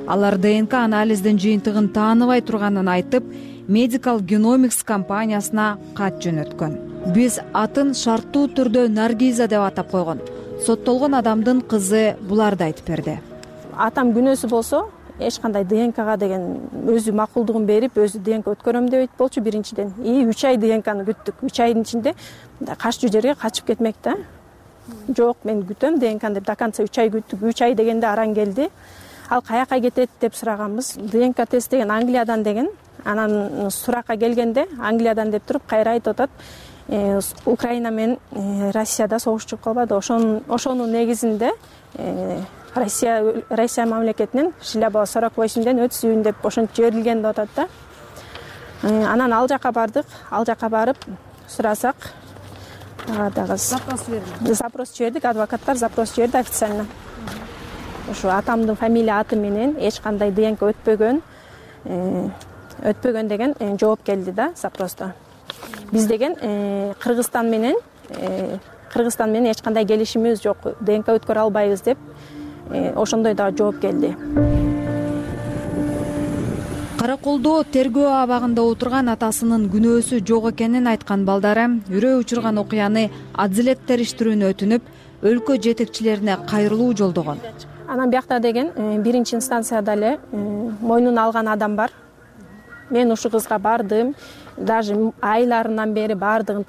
Алар ДНК анализдин жыйынтыгын тааныбай турганын айтып, Medical Genomics компаниясына кат жөнөткөн. Биз атын шарттуу түрдө Наргиза деп атап койгон. Соттолгон адамдын кызы буларды айтып берди. Атам күнөөсү болсо, эч кандай ДНКга деген өзү макулдугун берип, өзү ДНК өткөрөм деп айтып болчу биринчиден. И үч ай ДНКны күттүк. үч айдын ичинде каччу жерге качып кетмек да. Жок, мен күтөм ДНКны деп до конца үч ай күттүк. үч ай дегенде аран келди. Ал каяка кетет деп сураганбыз. ДНК тест деген Англиядан деген. Анан суракка келгенде Англиядан деп туруп кайра айтып атат, Украина менен Россияда согуш чыгып калбады. Ошонун ошонун негизинде Россия Россия мамлекетинин Шиляба сорок восемьден өтүш үйүн деп ошентип жиберилген деп атат да. Анан ал жака бардык, ал жака барып сурасак, дагы запрос бердик. Запрос жибердик, адвокаттар запрос жиберди официально. Ошо атамдын фамилия аты менен эч кандай ДНК өтпөгөн, өтпөгөн деген жооп келди да запросто. Биз деген Кыргызстан менен Кыргызстан менен эч кандай келишимибиз жок, ДНК өткөрө албайбыз деп ошондой дагы жооп келди. Караколдо тергөө абагында отурган атасынын күнөөсү жок экенин айткан балдары үрөө учурган окуяны адилет териштирүүнү өтүнүп, өлкө жетекчилерине кайрылуу жолдогон. Анан биякта деген биринчи инстанцияда эле мойнуна алган адам бар. Мен ушул кызга бардым, даже айларынан бери баардыгын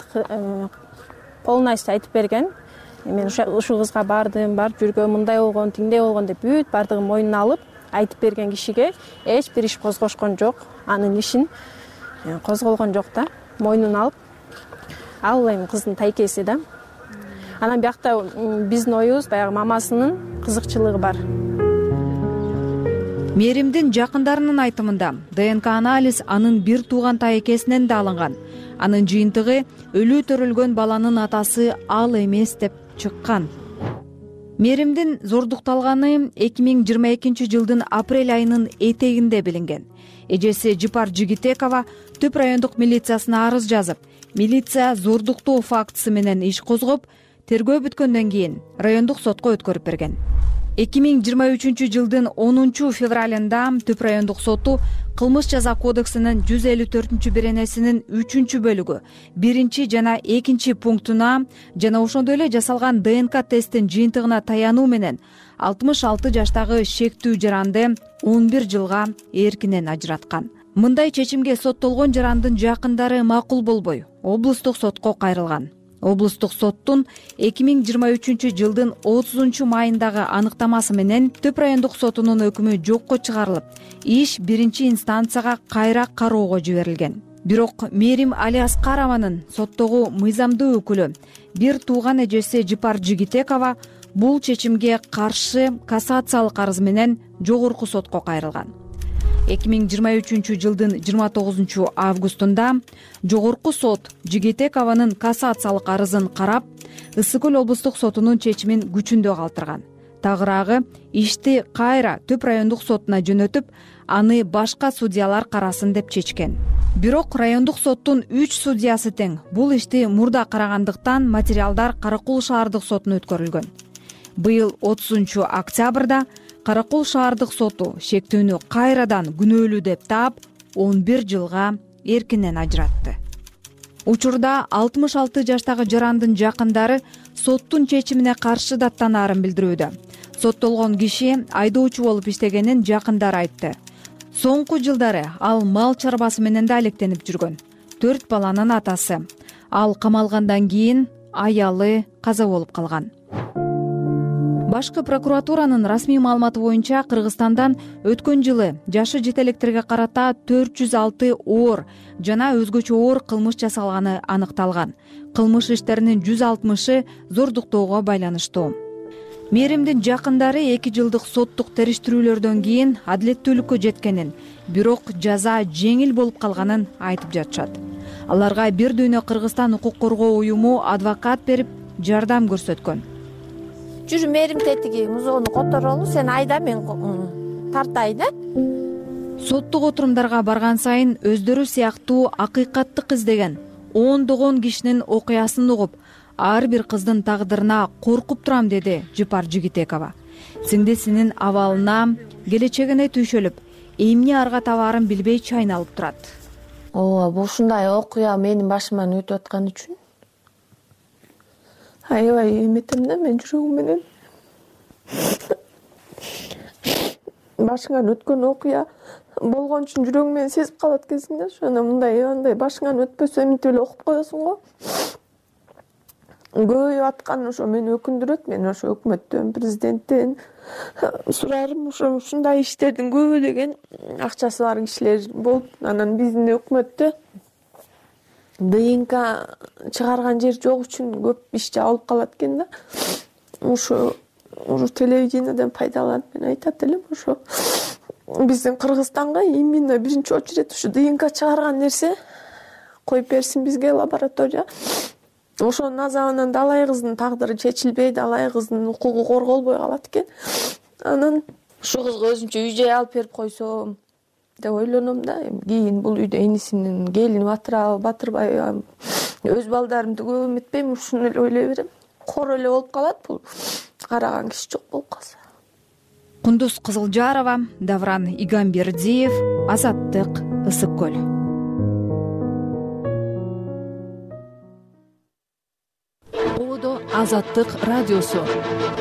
полностью айтып берген. Мен ушул кызга бардым, бар жүргөн, мындай болгон, тиңдей болгон деп бүт баардыгын мойнуна алып айтып берген кишиге эч бир иш козгошкон жок. Анын ишин козголгон жок да, мойнуна алып. Ал эми кыздын тайкеси да. Анан биякта биздин оюбуз баягы мамасынын кызыкчылыгы бар. Мээримдин жакындарынын айтымында ДНК анализ анын бир тууган тайкесинен да алынган. Анын жыйынтыгы өлүү төрөлгөн баланын атасы ал эмес деп чыккан. Мээримдин зордукталганы эки миң жыйырма экинчи жылдын апрель айынын этегинде билинген. Эжеси Жипар Жигитекова Түп райондук милициясына арыз жазып, милиция зордуктоо фактысы менен иш козгоп, тергөө бүткөндөн кийин райондук сотко өткөрүп берген. эки миң жыйырма үчүнчү жылдын онунчу февралында Түп райондук соту Кылмыш жаза кодексинин жүз элүү төртүнчү беренесинин үчүнчү бөлүгү биринчи жана экинчи пунктуна жана ошондой эле жасалган ДНК тесттин жыйынтыгына таянуу менен алтымыш алты жаштагы шектүү жаранды он бир жылга эркинен ажыраткан. Мындай чечимге соттолгон жарандын жакындары макул болбой, облустук сотко кайрылган. Облустук соттун эки миң жыйырма үчүнчү жылдын отузунчу майындагы аныктамасы менен Түп райондук сотунун өкүмү жокко чыгарылып, иш биринчи инстанцияга кайра кароого жиберилген. Бирок Мээрим Алиаскарованын соттогу мыйзамдуу өкүлү, бир тууган эжеси Жипар Жигитекова бул чечимге каршы кассациялык арыз менен жогорку сотко кайрылган. эки миң жыйырма үчүнчү жылдын жыйырма тогузунчу августунда жогорку сот Жигитекованын кассациялык арызын карап, Ысык көл облустук сотунун чечимин күчүндө калтырган. Тагыраагы ишти кайра Түп райондук сотуна жөнөтүп, аны башка судьялар карасын деп чечкен. Бирок райондук соттун үч судьясы тең бул ишти мурда карагандыктан материалдар Каракол шаардык сотуна өткөрүлгөн. Быйыл отузунчу октябрда Каракол шаардык соту шектүүнү кайрадан күнөөлүү деп таап, он бир жылга эркинен ажыратты. Учурда алтымыш алты жаштагы жарандын жакындары соттун чечимине каршы даттанаарын билдирүүдө. Соттолгон киши айдоочу болуп иштегенин жакындары айтты. Соңку жылдары ал мал чарбасы менен да алектенип жүргөн. Төрт баланын атасы. Ал камалгандан кийин аялы каза болуп калган. Башкы прокуратуранын расмий маалыматы боюнча Кыргызстандан өткөн жылы жашы жете электерге карата төрт жүз алты оор жана өзгөчө оор кылмыш жасалганы аныкталган. Кылмыш иштеринин жүз алтымышы зордуктоого байланыштуу. Мээримдин жакындары эки жылдык соттук териштирүүлөрдөн кийин адилеттүүлүккө жеткенин, бирок жаза жеңил болуп калганын айтып жатышат. Аларга бир дүйнө Кыргызстан укук коргоо уюму адвокат берип жардам көрсөткөн. Жүрү мээрим тетиги музоону которолу, сен айда, мен тартай да. Соттук отурумдарга барган сайын өздөрү сыяктуу акыйкаттык издеген ондогон кишинин окуясын угуп, ар бир кыздын тагдырына коркуп турам, деди Жипар Жигитекова. Сиңдисинин абалына, келечегине түйшөлүп, эмне арга табаарын билбей чайналып турат. Ооба, ушундай окуя менин башыман өтүп аткан үчүн аябай эметем да, мен жүрөгүм менен. Башыңан өткөн окуя болгон үчүн жүрөгүм менен сезип калат экенсиң да, ошондо мындай андай башыңан өтпөсө эминтип эле окуп коесуң го. Көбөйүп аткан ошо мени өкүндүрөт. Мен ошо өкмөттөн, президенттен сурарым, ошо ушундай иштердин көбү акчасы бар кишилер болуп, анан биздин өкмөттө ДНК чыгарган жер жок үчүн көп иш жабылып калат экен да. Ошо ушу телевидениеден пайдаланып мен айтат элем, ошо биздин Кыргызстанга именно биринчи очередь ушу ДНК чыгарган нерсе коюп берсин бизге лаборатория. Ошонун азабынан далай кыздын тагдыры чечилбей, далай кыздын укугу корголбой калат экен. Анан ушу кызга өзүнчө үй жай алып берип койсом, деп ойлоном да. Эми кийин бул үйдө энисинин келини батырабы, батырбайбы, өз балдарымды көп эметпейм, ушуну эле ойлой берем. Кор эле болуп калат бул караган киши жок болуп калса. Кундуз Кызылжарова, Давран Игамбердиев, Азаттык, Ысык көл. Ободо Азаттык радиосу.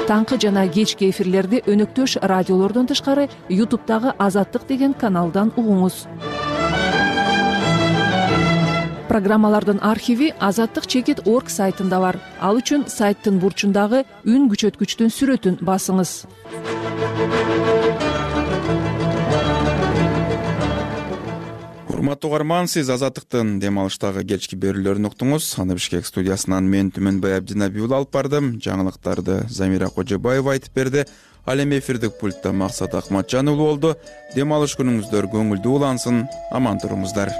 Таңкы жана кечки эфирлерди өнөктөш радиолордон тышкары ютубтагы Азаттык деген каналдан угуңуз. Программалардын архиви азаттык чекит точка орг сайтында бар. Ал үчүн сайттын бурчундагы үн күчөткүчтүн сүрөтүн басыңыз. Урматтуу угарман, сиз Азаттыктын дем алыштагы кечки берүүлөрүн уктуңуз. Аны Бишкек студиясынан мен Түмөнбай Абдинабиул алып бардым. Жаңылыктарды Замира Кожобаева айтып берди. Ал эми эфирдик пультта Максат Акматжан уулу болду. Дем алыш күнүңүздөр көңүлдүү улансын. Аман туруңуздар.